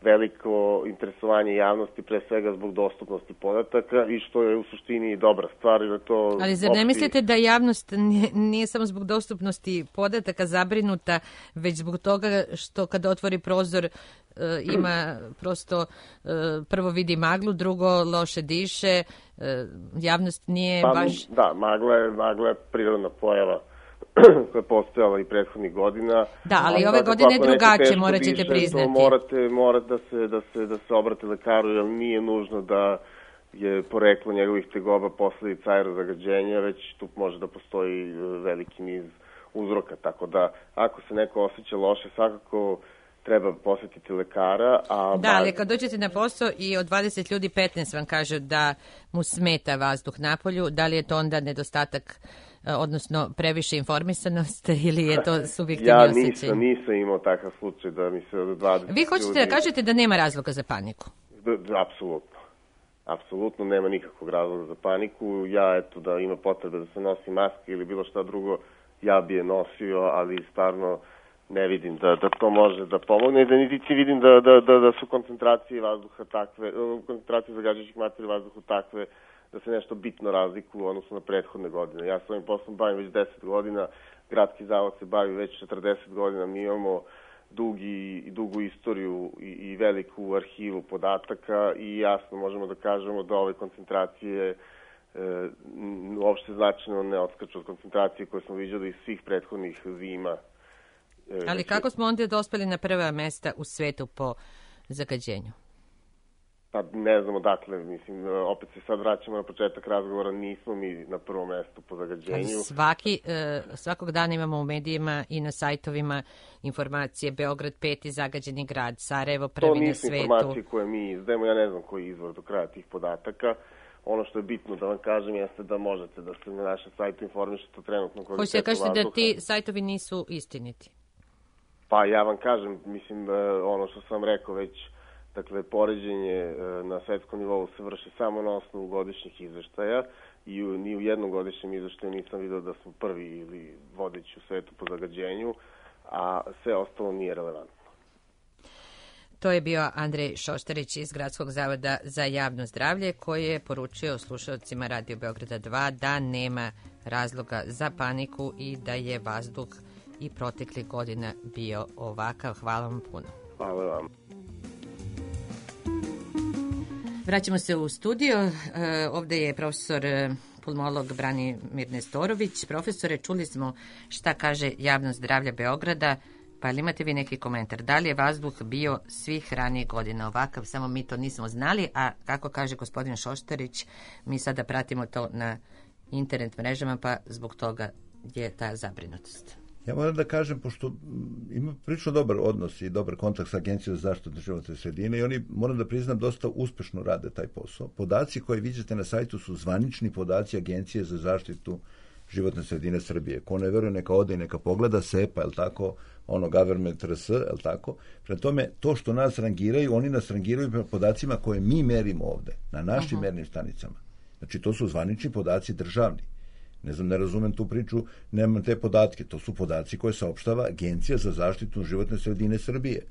veliko interesovanje javnosti, pre svega zbog dostupnosti podataka i što je u suštini dobra stvar. Ali zar ne mislite da javnost nije samo zbog dostupnosti podataka zabrinuta, već zbog toga što kada otvori prozor ima prosto prvo vidi maglu, drugo loše diše, javnost nije baš... Da, magla je prirodna pojava koja je postojala i prethodnih godina. Da, ali ove godine je drugačije, morat ćete priznati. Morate da se obrate lekaru, jer nije nužno da je poreklo njegovih tegoba posledica aerozagađenja, već tu može da postoji veliki niz uzroka. Tako da, ako se neko osjeća loše, svakako treba posjetiti lekara. Da, ali kad dođete na posao i od 20 ljudi 15 vam kažu da mu smeta vazduh napolju, da li je to onda nedostatak, odnosno previše informisanost ili je to subjektivni osjećaj? Ja nisam imao takav slučaj da mi se od 20 Vi hoćete da kažete da nema razloga za paniku? Apsolutno. Apsolutno nema nikakvog razloga za paniku. Ja, eto, da ima potrebe da se nosi maske ili bilo šta drugo, ja bi je nosio, ali stvarno ne vidim da to može da pomogne, da niti vidim da su koncentracije vazduha takve, koncentracije zagađujućih materija vazduha takve da se nešto bitno razlikuje u odnosu na prethodne godine. Ja s ovim poslom bavim već 10 godina, Gradski zavod se bavi već 40 godina, mi imamo dugu istoriju i veliku arhivu podataka i jasno možemo da kažemo da ove koncentracije uopšte značajno ne odskaču od koncentracije koje smo viđali iz svih prethodnih zima. Ali kako smo onda dospeli na prva mesta u svetu po zagađenju? Pa ne znam odakle, mislim, opet se sad vraćamo na početak razgovora, nismo mi na prvom mestu po zagađenju. Svakog dana imamo u medijima i na sajtovima informacije Beograd 5. zagađeni grad, Sarajevo prvi na svetu. To nisu informacije koje mi izdajemo, ja ne znam koji je izvor do kraja tih podataka. Ono što je bitno da vam kažem jeste da možete da se na našem sajtu informišete trenutno kvalitetu vazduha. Hoćete kažete da ti sajtovi nisu istiniti? Pa ja vam kažem, mislim, ono što sam rekao već, dakle, poređenje na svetskom nivou se vrši samo na osnovu godišnjih izveštaja i ni u jednom godišnjem izveštaju nisam vidio da smo prvi ili vodeći u svetu po zagađenju, a sve ostalo nije relevantno. To je bio Andrej Šoštarić iz Gradskog zavoda za javno zdravlje, koji je poručio slušalcima Radio Beograda 2 da nema razloga za paniku i da je vazduh i proteklih godina bio ovakav. Hvala vam puno. Hvala vam. Vraćamo se u studio. Ovde je profesor pulmolog Branimir Nestorović. Profesore, čuli smo šta kaže javno zdravlje Beograda, pa li imate vi neki komentar? Da li je vazduh bio svih ranijih godina ovakav, samo mi to nismo znali, a kako kaže gospodin Šoštarić, mi sada pratimo to na internet mrežama, pa zbog toga je ta zabrinutost. Ja moram da kažem, pošto ima prilično dobar odnos i dobar kontakt sa Agencijom za zaštitu životne sredine i oni, moram da priznam, dosta uspešno rade taj posao. Podaci koje vidite na sajtu su zvanični podaci Agencije za zaštitu životne sredine Srbije. Ko ne veruje, neka ode i neka pogleda SEPA, je li tako, ono government RS, je li tako? Prema tome, to što nas rangiraju, oni nas rangiraju prema podacima koje mi merimo ovde, na našim mernim stanicama. Znači, to su zvanični podaci državni. Ne znam, ne razumem tu priču, nemam te podatke. To su podaci koje saopštava Agencija za zaštitu životne sredine Srbije.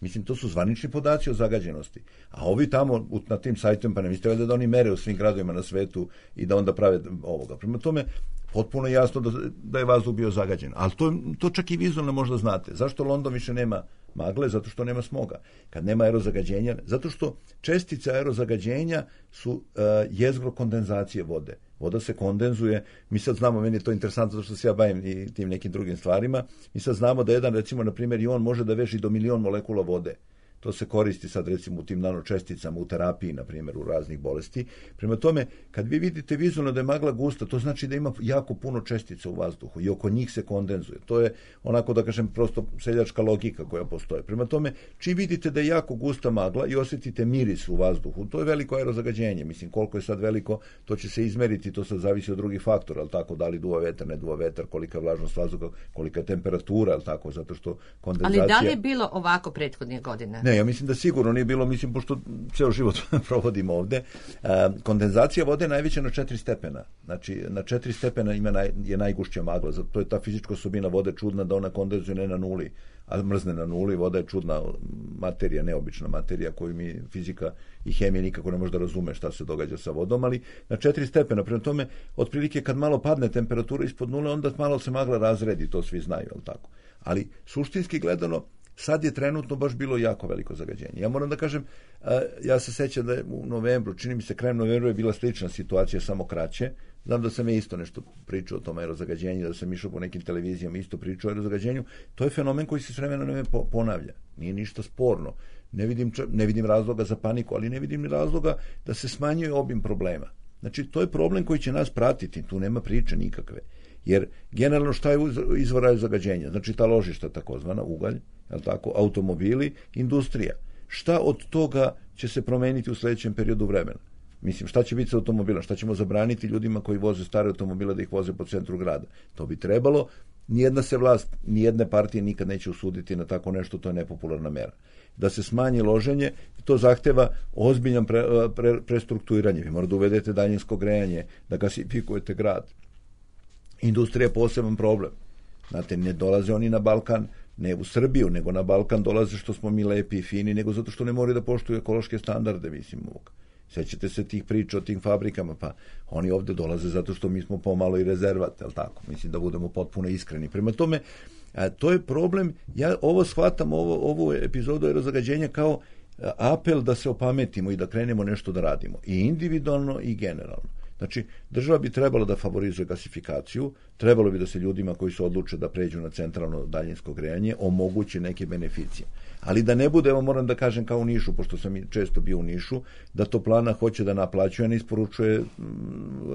Mislim, to su zvanični podaci o zagađenosti. A ovi tamo na tim sajtovima, pa ne mislite da oni mere u svim gradovima na svetu i da onda prave ovoga. Prema tome, potpuno je jasno da je vazduh bio zagađen. Ali to čak i vizualno možda znate. Zašto London više nema magle? Zato što nema smoga. Kad nema aerozagađenja, zato što čestice aerozagađenja su jezgro kondenzacije vode. Voda se kondenzuje, mi sad znamo, meni je to interesantno zato što se ja bavim i tim nekim drugim stvarima, mi sad znamo da jedan, recimo, na primjer, ion može da veži do 1.000.000 molekula vode. To se koristi sad, recimo, u tim nanočesticama, u terapiji, na primjer, u raznih bolesti. Prema tome, kad vi vidite vizualno da je magla gusta, to znači da ima jako puno čestica u vazduhu i oko njih se kondenzuje. To je onako, da kažem, prosto seljačka logika koja postoje. Prema tome, čim vidite da je jako gusta magla i osjetite miris u vazduhu, to je veliko aerozagađenje. Mislim, koliko je sad veliko, to će se izmeriti, to sad zavisi od drugih faktora, al tako, da li duva vetar, ne duva vetar, kolika je vlažnost vazduha, kolika je temperatura, al tako, zato što kondenzacija. Ali da li je bilo ovako prethodnih godina? Ne, ja mislim da sigurno nije bilo, mislim, pošto ceo život provodimo ovde. Kondenzacija vode je najveća na 4 stepena. Znači, na 4 stepena je najgušća magla. Zato je ta fizička osobina vode čudna da ona kondenzuje ne na nuli, a mrzne na nuli. Voda je čudna materija, neobična materija koju mi fizika i hemija nikako ne može da razume šta se događa sa vodom, ali na 4 stepena. Prema tome, otprilike kad malo padne temperatura ispod nule, onda malo se magla razredi, to svi znaju, al tako. Ali suštinski gledano, sad je trenutno baš bilo jako veliko zagađenje. Ja moram da kažem, ja se sećam da je u novembru, čini mi se krajem novembra je bila slična situacija, samo kraće. Znam da sam ja isto nešto pričao o tom aerozagađenju, da sam išao po nekim televizijama isto pričao o aerozagađenju. To je fenomen koji se s vremena na vreme ponavlja. Nije ništa sporno. Ne vidim razloga za paniku, ali ne vidim ni razloga da se smanjuje obim problema. Znači, to je problem koji će nas pratiti, tu nema priče nikakve. Jer generalno šta je izvor zagađenja? Znači, ta ložišta, takozvana ugalj, je tako, automobili, industrija. Šta od toga će se promeniti u sledećem periodu vremena? Mislim, šta će biti sa automobilom? Šta ćemo zabraniti ljudima koji voze stare automobile da ih voze po centru grada? To bi trebalo. Nijedna se vlast, nijedne partije nikad neće usuditi na tako nešto, to je nepopularna mera. Da se smanji loženje, to zahteva ozbiljan prestrukturiranje. Vi morate da uvedete daljinsko grejanje, da gasifikujete grad. Industrija je poseban problem. Znate, ne dolaze oni na Balkan, ne u Srbiju, nego na Balkan dolaze što smo mi lepi i fini, nego zato što ne moraju da poštuju ekološke standarde, mislim, ovog. Sećate se tih priča o tim fabrikama, pa oni ovde dolaze zato što mi smo pomalo i rezervat, jel tako? Mislim da budemo potpuno iskreni. Prema tome, to je problem. Ja ovo shvatam, ovu epizodu aerozagađenja kao apel da se opametimo i da krenemo nešto da radimo. I individualno i generalno. Znači, država bi trebala da favorizuje gasifikaciju, trebalo bi da se ljudima koji se odluče da pređu na centralno daljinsko grejanje omogući neke beneficije. Ali da ne bude, evo moram da kažem kao u Nišu, pošto sam često bio u Nišu, da toplana hoće da naplaćuje, a ne isporučuje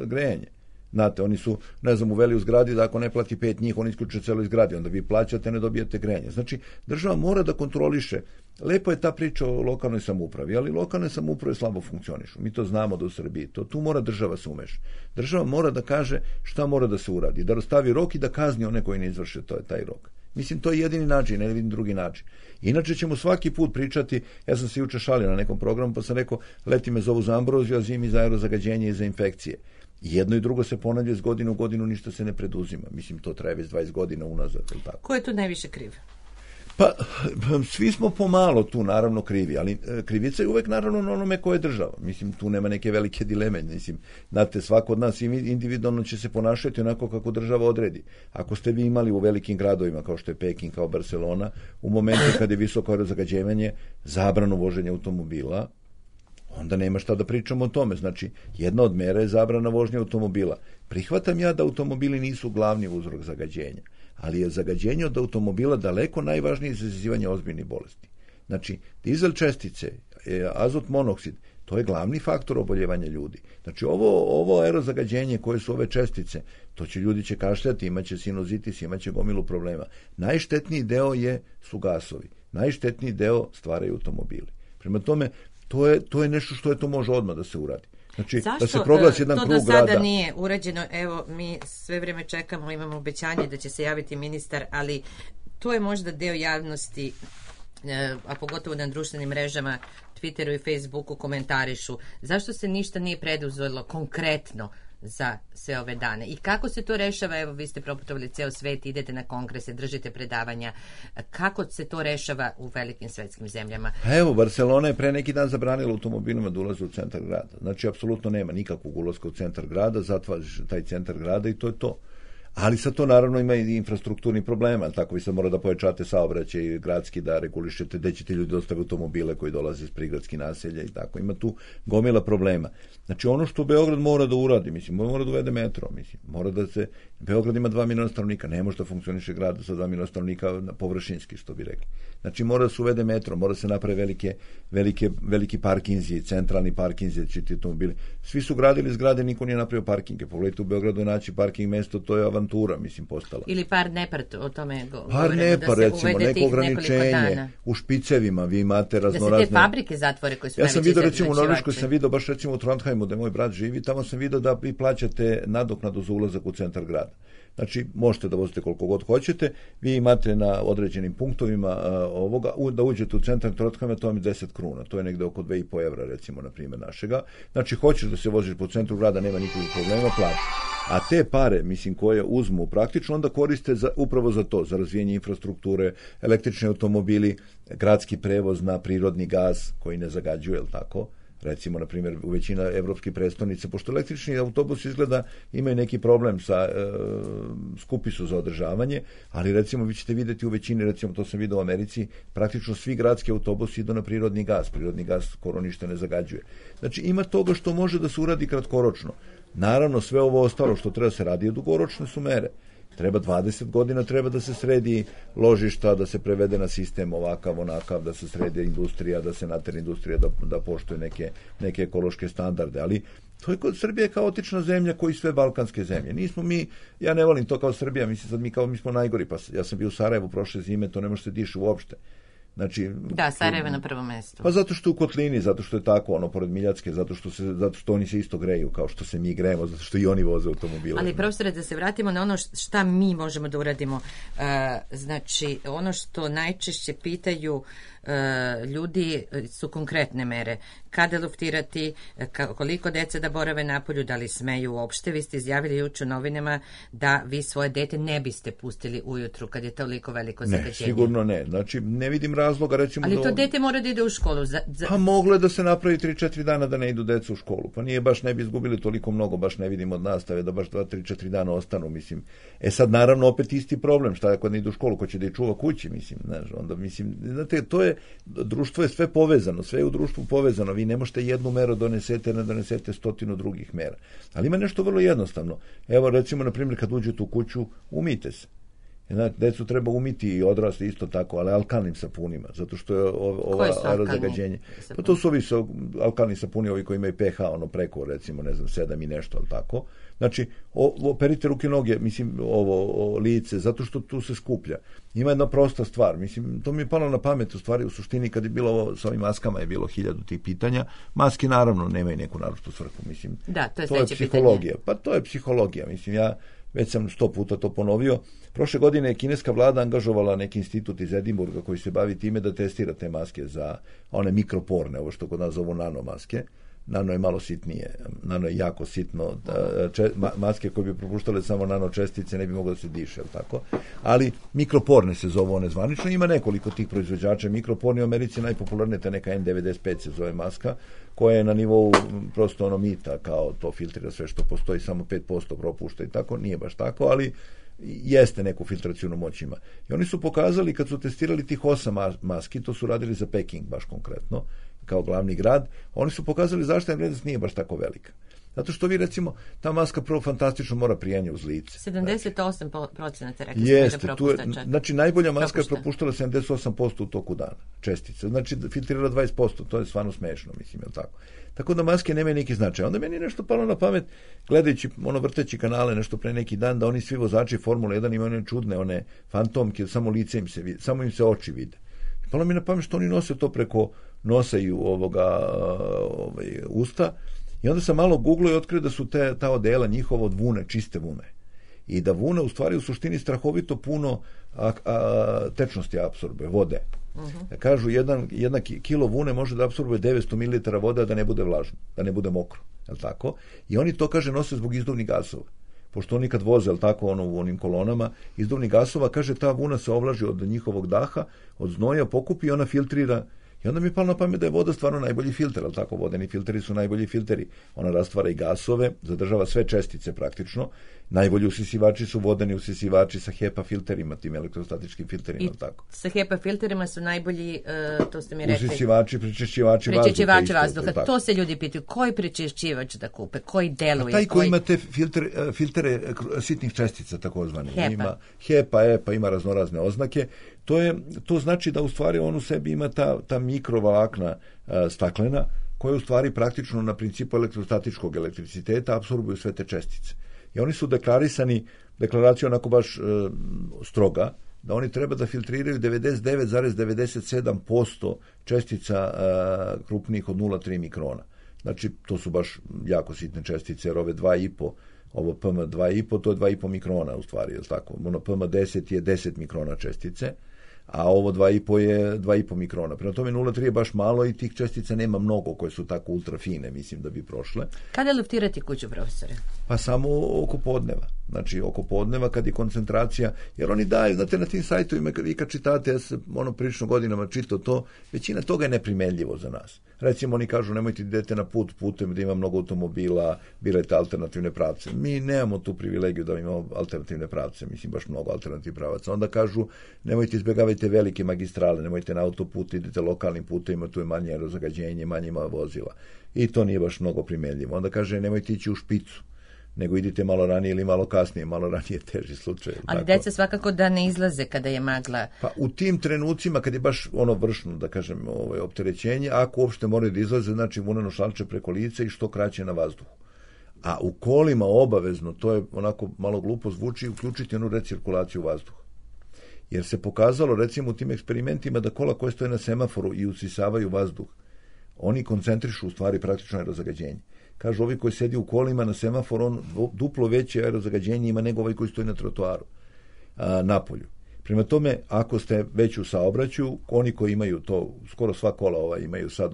grejanje. Znate, oni su, ne znam, uveli u zgradi da ako ne plati 5 njih, oni isključuju celoj zgradi, onda vi plaćate, ne dobijete grejanje. Znači, država mora da kontroliše. Lepo je ta priča o lokalnoj samoupravi, ali lokalne samouprave slabo funkcionišu. Mi to znamo da u Srbiji. Tu mora država se umeša. Država mora da kaže šta mora da se uradi, da stavi rok i da kazni one koji ne izvrše taj rok. Mislim, to je jedini način, ne vidim drugi način. Inače ćemo svaki put pričati, ja sam se juče šalio na nekom programu, pa sam rekao, leti me zovu za ambroziju, a zimi za aerozagađenje i za infekcije. Jedno i drugo se ponavlja iz godine u godinu, ništa se ne preduzima. Mislim, to traje već 20 godina unazad. Tako. Ko je tu najviše kriv? Pa, svi smo pomalo tu, naravno, krivi, ali krivica je uvek, naravno, na onome ko je država. Mislim, tu nema neke velike dileme. Mislim, znate, svako od nas individualno će se ponašati onako kako država odredi. Ako ste vi imali u velikim gradovima, kao što je Peking, kao Barcelona, u momentu kad je visoko aerozagađenje, zabranu voženja automobila, onda nema šta da pričamo o tome. Znači, jedna od mera je zabrana vožnje automobila. Prihvatam ja da automobili nisu glavni uzrok zagađenja, ali je zagađenje od automobila daleko najvažnije za izazivanje ozbiljnih bolesti. Znači, dizel čestice, azot monoksid, to je glavni faktor oboljevanja ljudi. Znači, ovo aerozagađenje koje su ove čestice, to će ljudi će kašljati, imaće sinuzitis, imaće gomilu problema. Najštetniji deo su gasovi. Najštetniji deo stvaraju automobili. Prema tome, to je nešto što to može odmah da se uradi. Znači, da se proglasi jedan krug grada. Zašto to do sada nije urađeno? Evo, mi sve vreme čekamo, imamo obećanje da će se javiti ministar, ali to je možda deo javnosti, a pogotovo na društvenim mrežama, Twitteru i Facebooku komentarišu. Zašto se ništa nije preduzelo konkretno za sve ove dane? I kako se to rešava? Evo, vi ste proputovali ceo svet, idete na kongrese, držite predavanja. Kako se to rešava u velikim svetskim zemljama? Evo, Barcelona je pre neki dan zabranila automobilima da ulaze u centar grada. Znači, apsolutno nema nikakvog ulaska u centar grada, zatvaraš taj centar grada i to je to. Ali sad to naravno ima i infrastrukturni problema, tako vi sad mora da pojačate saobraćaj gradski, da regulišete gde ćete ljudi dostaviti automobile koji dolaze iz prigradskih naselja i tako. Ima tu gomila problema. Znači ono što Beograd mora da uradi, mislim, mora da uvede metro, mislim, mora da se, Beograd ima 2 miliona stanovnika, ne može da funkcioniše grad sa 2 miliona stanovnika površinski, što bi rekli. Znači mora da se uvede metro, mora da se naprave veliki parkinzi, centralni parkinzi, ćete automobili. Svi su gradili zgrade, niko nije napravio parkinge. Pogledajte u Beogradu naći parking mesto, to je avantura, mislim, postala. Ili par nepar, o tome par nepar, recimo, neko ograničenje u špicevima, vi imate raznorazne. Da se te fabrike zatvore koje su ja sam vidio, recimo, u Norveškoj sam vidio, baš recimo u Trondheimu, gde moj brat živi, tamo sam vidio da vi plaćate nadoknadu za ulazak u centar grada. Znači, možete da vozite koliko god hoćete, vi imate na određenim punktovima da uđete u centar Trondheima, to vam je 10 kruna, to je negde oko 2,5 evra, recimo, na primjer našega. Znači, hoćeš da se voziš po centru grada, nema nikakvih problema, plati. A te pare, mislim, koje uzmu praktično, onda koriste upravo za to, za razvijenje infrastrukture, električni automobili, gradski prevoz na prirodni gaz koji ne zagađuje, jel tako? Recimo, na primjer, u većina evropskih prestolnice, pošto električni autobus izgleda imaju neki problem sa skupi su za održavanje, ali recimo vi ćete vidjeti u većini, recimo to sam vidio u Americi, praktično svi gradski autobusi idu na prirodni gaz skoro ništa ne zagađuje. Znači ima toga što može da se uradi kratkoročno. Naravno, sve ovo ostalo što treba se radi, dugoročne su mere. Treba 20 godina, treba da se sredi ložišta, da se prevede na sistem ovakav, onakav, da se sredi industrija, da se natera industrija da poštuje neke ekološke standarde, ali to je kod Srbije kaotična zemlja koji sve balkanske zemlje. Nismo mi, ja ne volim to kao Srbija, mislim sad mi smo najgori, pa ja sam bio u Sarajevu prošle zime, to ne može se diši uopšte. Znači, da, Sarajevo na prvom mestu. Pa zato što je u kotlini, zato što je tako, pored Miljacke, zato što oni se isto greju kao što se mi grejemo, zato što i oni voze automobile. Ali profesore, da se vratimo na ono šta mi možemo da uradimo. Znači, ono što najčešće pitaju ljudi su konkretne mere. Kada luftirati, koliko dece da borave napolju, da li smeju uopšte. Vi ste izjavili juče u novinama da vi svoje dete ne biste pustili ujutru kad je toliko veliko zagađenje. Ne, sigurno ne. Znači, ne vidim razloga, recimo... Ali to dete mora da ide u školu. Pa moglo je da se napravi 3-4 dana da ne idu deca u školu. Pa nije baš, ne bi izgubili toliko mnogo, baš ne vidim od nastave da baš 2-3-4 dana ostanu, mislim. Sad, naravno, opet isti problem. Šta ako ne idu u školu, ko će da ih čuva kući, mislim. Znaš, onda, mislim, znate, to je društvo je sve povezano, sve je u društvu povezano, vi ne možete jednu meru donesete, ne donesete 100 drugih mera. Ali ima nešto vrlo jednostavno. Evo recimo, na primjer, kad uđete u kuću, umijte se. Znači, decu treba umiti i odrasli isto tako, ali alkalnim sapunima, zato što je ova aerozagađenje. Pa to su ovi alkalni sapuni, ovi koji imaju pH, preko, recimo, 7 i nešto, ali tako. Znači, operite ruke, noge, mislim, lice, zato što tu se skuplja. Ima jedna prosta stvar, mislim, to mi je palo na pamet, u stvari, u suštini, kad je bilo ovo, sa ovim maskama je bilo 1000 tih pitanja, maske naravno nemaju neku naročitu svrhu, mislim. Da, to je psihologija. Pitanje. Pa to je psihologija, mislim, ja već sam 100 puta to ponovio. Prošle godine je kineska vlada angažovala neki institut iz Edinburga koji se bavi time da testira te maske za one mikroporne, ovo što kod nas zovu nanomaske. Nano je malo sitnije, nano je jako sitno, maske koje bi propuštale samo nanočestice ne bi moglo da se diše, tako? Ali mikroporne se zovu one zvanično, ima nekoliko tih proizvođača mikroporni, u Americi najpopularnije ta neka N95 se zove maska, koja je na nivou prosto mita, kao to filtrira sve što postoji, samo 5% propušta i tako, nije baš tako, ali jeste neku filtracijnu moć ima. I oni su pokazali, kad su testirali tih 8 maski, to su radili za Peking baš konkretno, kao glavni grad, oni su pokazali zaštitna vrednost nije baš tako velika. Zato što vi, recimo, ta maska prvo fantastično mora prijanje uz lice. 78% rekli jeste, da propušta čak. Znači, najbolja maska je propuštala 78% u toku dana, čestice. Znači, filtrirala 20%, to je stvarno smešno, mislim, je li tako? Tako da maske nemaju neki značaj. Onda meni je nešto palo na pamet, gledajući, vrteći kanale nešto pre neki dan, da oni svi vozači Formule 1 imaju one čudne, one fantomke, samo lice im se vidi, samo im se oči vide. Palo mi na pamet što oni nose to preko nosa i usta. I onda sam malo googlao i otkrio da su ta odela njihova od vune, čiste vune. I da vuna u stvari u suštini strahovito puno tečnosti apsorbuje, vode. Kažu, jedna kilo vune može da apsorbuje 900 ml vode, da ne bude vlažno, da ne bude mokro. Je tako? I oni to, kaže, nose zbog izduvnih gasova. Pošto oni kad voze, je tako, u onim kolonama, izduvnih gasova, kaže, ta vuna se ovlaži od njihovog daha, od znoja, pokupi i ona filtrira. I onda mi je palo na pamet da je voda stvarno najbolji filter, ali tako, vodeni filteri su najbolji filteri. Ona rastvara i gasove, zadržava sve čestice praktično. Najbolji usisivači su vodeni usisivači sa HEPA filterima, tim elektrostatičkim filterima, i tako. Sa HEPA filterima su najbolji, to ste mi rekli, usisivači, prečišćivači vazduha. To se ljudi pitaju, koji prečišćivač da kupe, koji deluje? Taj koji ima te filtere sitnih čestica, takozvani. Ima HEPA, EPA, ima raznorazne oznake. To znači da u stvari on u sebi ima ta mikrovlakna staklena, koja u stvari praktično na principu elektrostatičkog elektriciteta apsorbuju sve te čestice. I oni su deklaracija onako baš stroga, da oni treba da filtriraju 99,97% čestica krupnijih od 0,3 mikrona. Znači, to su baš jako sitne čestice, jer ove 2,5, ovo PM2,5, to je 2,5 mikrona u stvari, je li tako? Ono PM10 je 10 mikrona čestice, a ovo 2,5 je 2,5 mikrona. Prema tome 0,3 je baš malo i tih čestica nema mnogo koje su tako ultrafine, mislim da bi prošle. Kada luftirati kuću, profesore? Pa samo oko podneva. Znači, oko podneva kad je koncentracija, jer oni daju, znate, na tim sajtovima, vi kad čitate, ja sam prilično godinama čitao to, većina toga je neprimenljivo za nas. Recimo, oni kažu, nemojte idete na putem da ima mnogo automobila, birajte alternativne pravce. Mi nemamo tu privilegiju da imamo alternativne pravce, mislim, baš mnogo alternativnih pravaca. Onda kažu, nemojte izbjegavajte velike magistrale, nemojte na autoput, idete lokalnim putevima, tu je manje aerozagađenje, manje ima vozila. I to nije baš mnogo primenljivo. Onda kaže, nemojte ići u špicu, nego idite malo ranije ili malo kasnije, malo ranije teži slučaj. Ali tako. Deca svakako da ne izlaze kada je magla. Pa u tim trenucima kad je baš vršno, da kažem, opterećenje, ako uopšte moraju da izlaze, znači vuneno šalče preko lica i što kraće na vazduhu. A u kolima obavezno, to je onako malo glupo zvuči, uključiti onu recirkulaciju vazduha. Jer se pokazalo, recimo, u tim eksperimentima da kola koje stoje na semaforu i usisavaju vazduh, oni koncentrišu u stvari praktično aerozagađenje. Kažu, ovi koji sedi u kolima na semaforu, on duplo veće aerozagađenje ima nego ovaj koji stoji na trotoaru, napolju. Prema tome, ako ste već u saobraćaju, oni koji imaju to, skoro sva kola imaju sad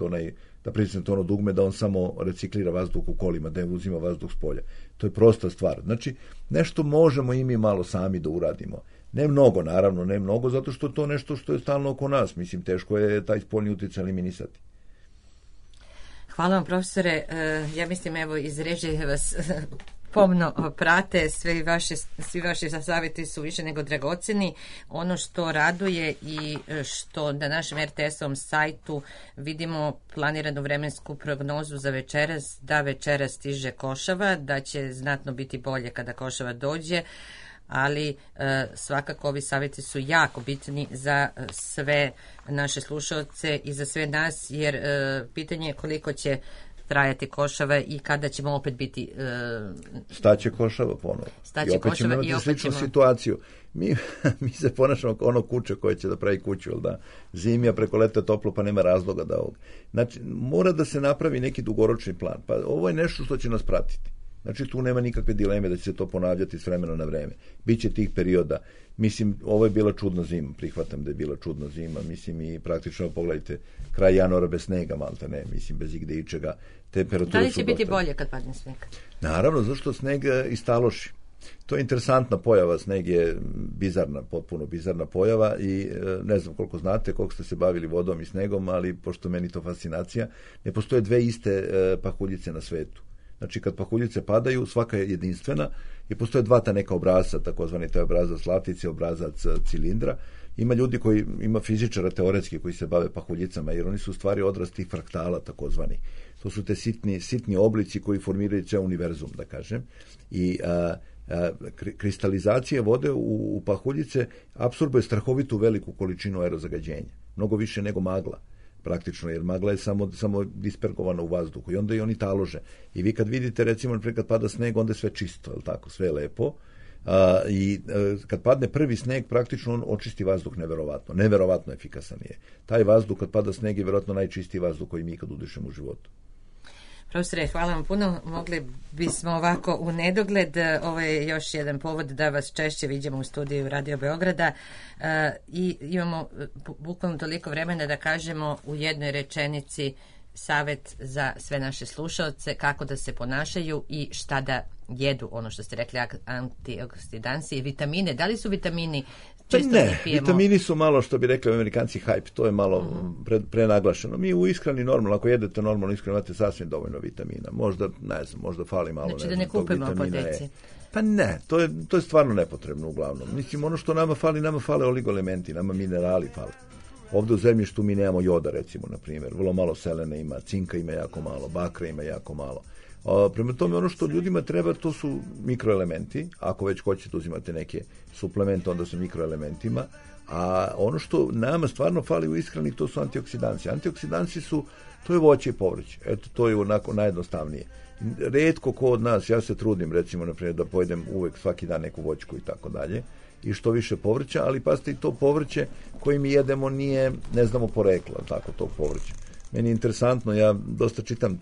da pritisnete ono dugme, da on samo reciklira vazduh u kolima, da ne uzima vazduh s polja. To je prosta stvar. Znači, nešto možemo i mi malo sami da uradimo. Ne mnogo, naravno, ne mnogo, zato što to nešto što je stalno oko nas. Mislim, teško je taj spoljni utjecaj eliminisati. Hvala vam, profesore. Ja mislim, evo, iz režije vas pomno prate, svi vaši savjeti su više nego dragoceni. Ono što raduje i što na našem RTS-ovom sajtu vidimo planiranu vremensku prognozu za večeras, da večeras stiže košava, da će znatno biti bolje kada košava dođe, ali svakako ovi savjeti su jako bitni za sve naše slušalce i za sve nas, jer pitanje je koliko će trajati košava i kada ćemo opet biti... Staće košava ponovo. I opet ćemo imati sličnu situaciju. Mi se ponašamo kao ono kuće koje će da pravi kuću, jel da? Zimi, a preko leta toplo, pa nema razloga da ovog. Znači, mora da se napravi neki dugoročni plan. Pa ovo je nešto što će nas pratiti. Znači, tu nema nikakve dileme da će se to ponavljati s vremena na vreme. Biće tih perioda. Mislim, ovo je bila čudna zima. Prihvatam da je bila čudna zima. Mislim, i praktično, pogledajte, kraj januara bez snega, malte ne. Mislim, bez igde ičega. Da li će biti bolje kad padne sneg? Naravno, zašto sneg istaloši. To je interesantna pojava. Sneg je bizarna, potpuno bizarna pojava i ne znam koliko znate, koliko ste se bavili vodom i snegom, ali pošto meni to fascinacija, ne postoje dve iste pahuljice na svetu. Znači, kad pahuljice padaju, svaka je jedinstvena i postoje dva ta neka obrazca, takozvani taj obrazac latice, obrazac cilindra. Ima ljudi ima fizičara teoretski koji se bave pahuljicama, jer oni su u stvari odraz tih fraktala, takozvani. To su te sitni oblici koji formiraju ceo univerzum, da kažem. I kristalizacija vode u pahuljice apsorbuje strahovitu veliku količinu aerozagađenja. Mnogo više nego magla. Praktično, jer magla je samo dispergovana u vazduhu i onda i oni talože. I vi kad vidite, recimo, kad pada sneg, onda je sve čisto, je li tako, sve je lepo. I kad padne prvi sneg, praktično on očisti vazduh neverovatno efikasan je. Taj vazduh kad pada sneg je vjerojatno najčistiji vazduh koji mi kad udišemo u životu. Profesore, hvala vam puno. Mogli bismo ovako u nedogled. Ovo je još jedan povod da vas češće vidimo u studiju Radio Beograda i imamo bukvalno toliko vremena da kažemo u jednoj rečenici savjet za sve naše slušalce kako da se ponašaju i šta da jedu, ono što ste rekli, antioksidansi i vitamine. Da li su vitamini čisto ne, vitamini su malo, što bi rekli Amerikanci, hype, to je malo prenaglašeno. Mi u ishrani normalno, ako jedete normalno ishranu, imate sasvim dovoljno vitamina. Možda, ne znam, možda fali malo. Znači da ne kupimo po deci. Pa ne, to je stvarno nepotrebno uglavnom. Mislim, ono što nama fale oligoelementi, nama minerali fale. Ovdje u zemljištu mi nemamo joda, recimo, na primjer. Vrlo malo selene ima, cinka ima jako malo, bakra ima jako malo. Prema tome, ono što ljudima treba, to su mikroelementi. Ako već hoćete uzimate neke suplemente, onda su mikroelementima. A ono što nama stvarno fali u ishrani, to su antioksidansi. Antioksidansi to je voće i povrće. Eto, to je onako najjednostavnije. Rijetko ko od nas, ja se trudim, recimo, na primjer, da pojedem uvek svaki dan neku voćku i tako dalje. I što više povrća, ali pazite, i to povrće koje mi jedemo nije, ne znamo porekla, tako, tog povrća. Meni je interesantno, ja dosta čitam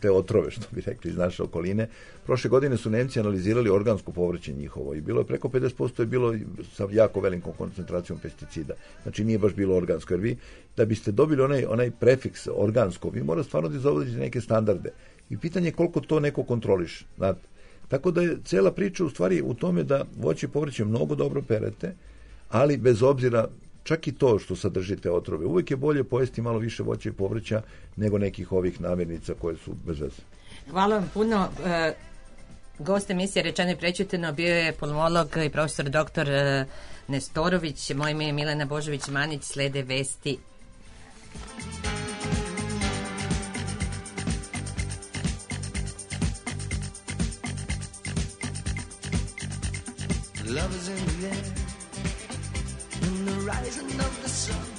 te otrove, što bi rekli, iz naše okoline. Prošle godine su Nemci analizirali organsko povrće njihovo i bilo je preko 50% je bilo sa jako velikom koncentracijom pesticida. Znači nije baš bilo organsko, jer vi da biste dobili onaj prefiks organsko, vi morate stvarno da zavodite neke standarde. I pitanje je koliko to neko kontroliše, znate. Tako da je cela priča u stvari u tome da voće i povrće mnogo dobro perete, ali bez obzira, čak i to što sadržite otrove, uvijek je bolje pojesti malo više voća i povrća nego nekih ovih namirnica koje su bez veze. Hvala vam puno. Gost emisije Rečeno i prečuteno bio je pulmolog i profesor dr. Nestorović. Moje ime je Milena Božović-Manić. Slede vesti. Love is in the air, in the rising of the sun.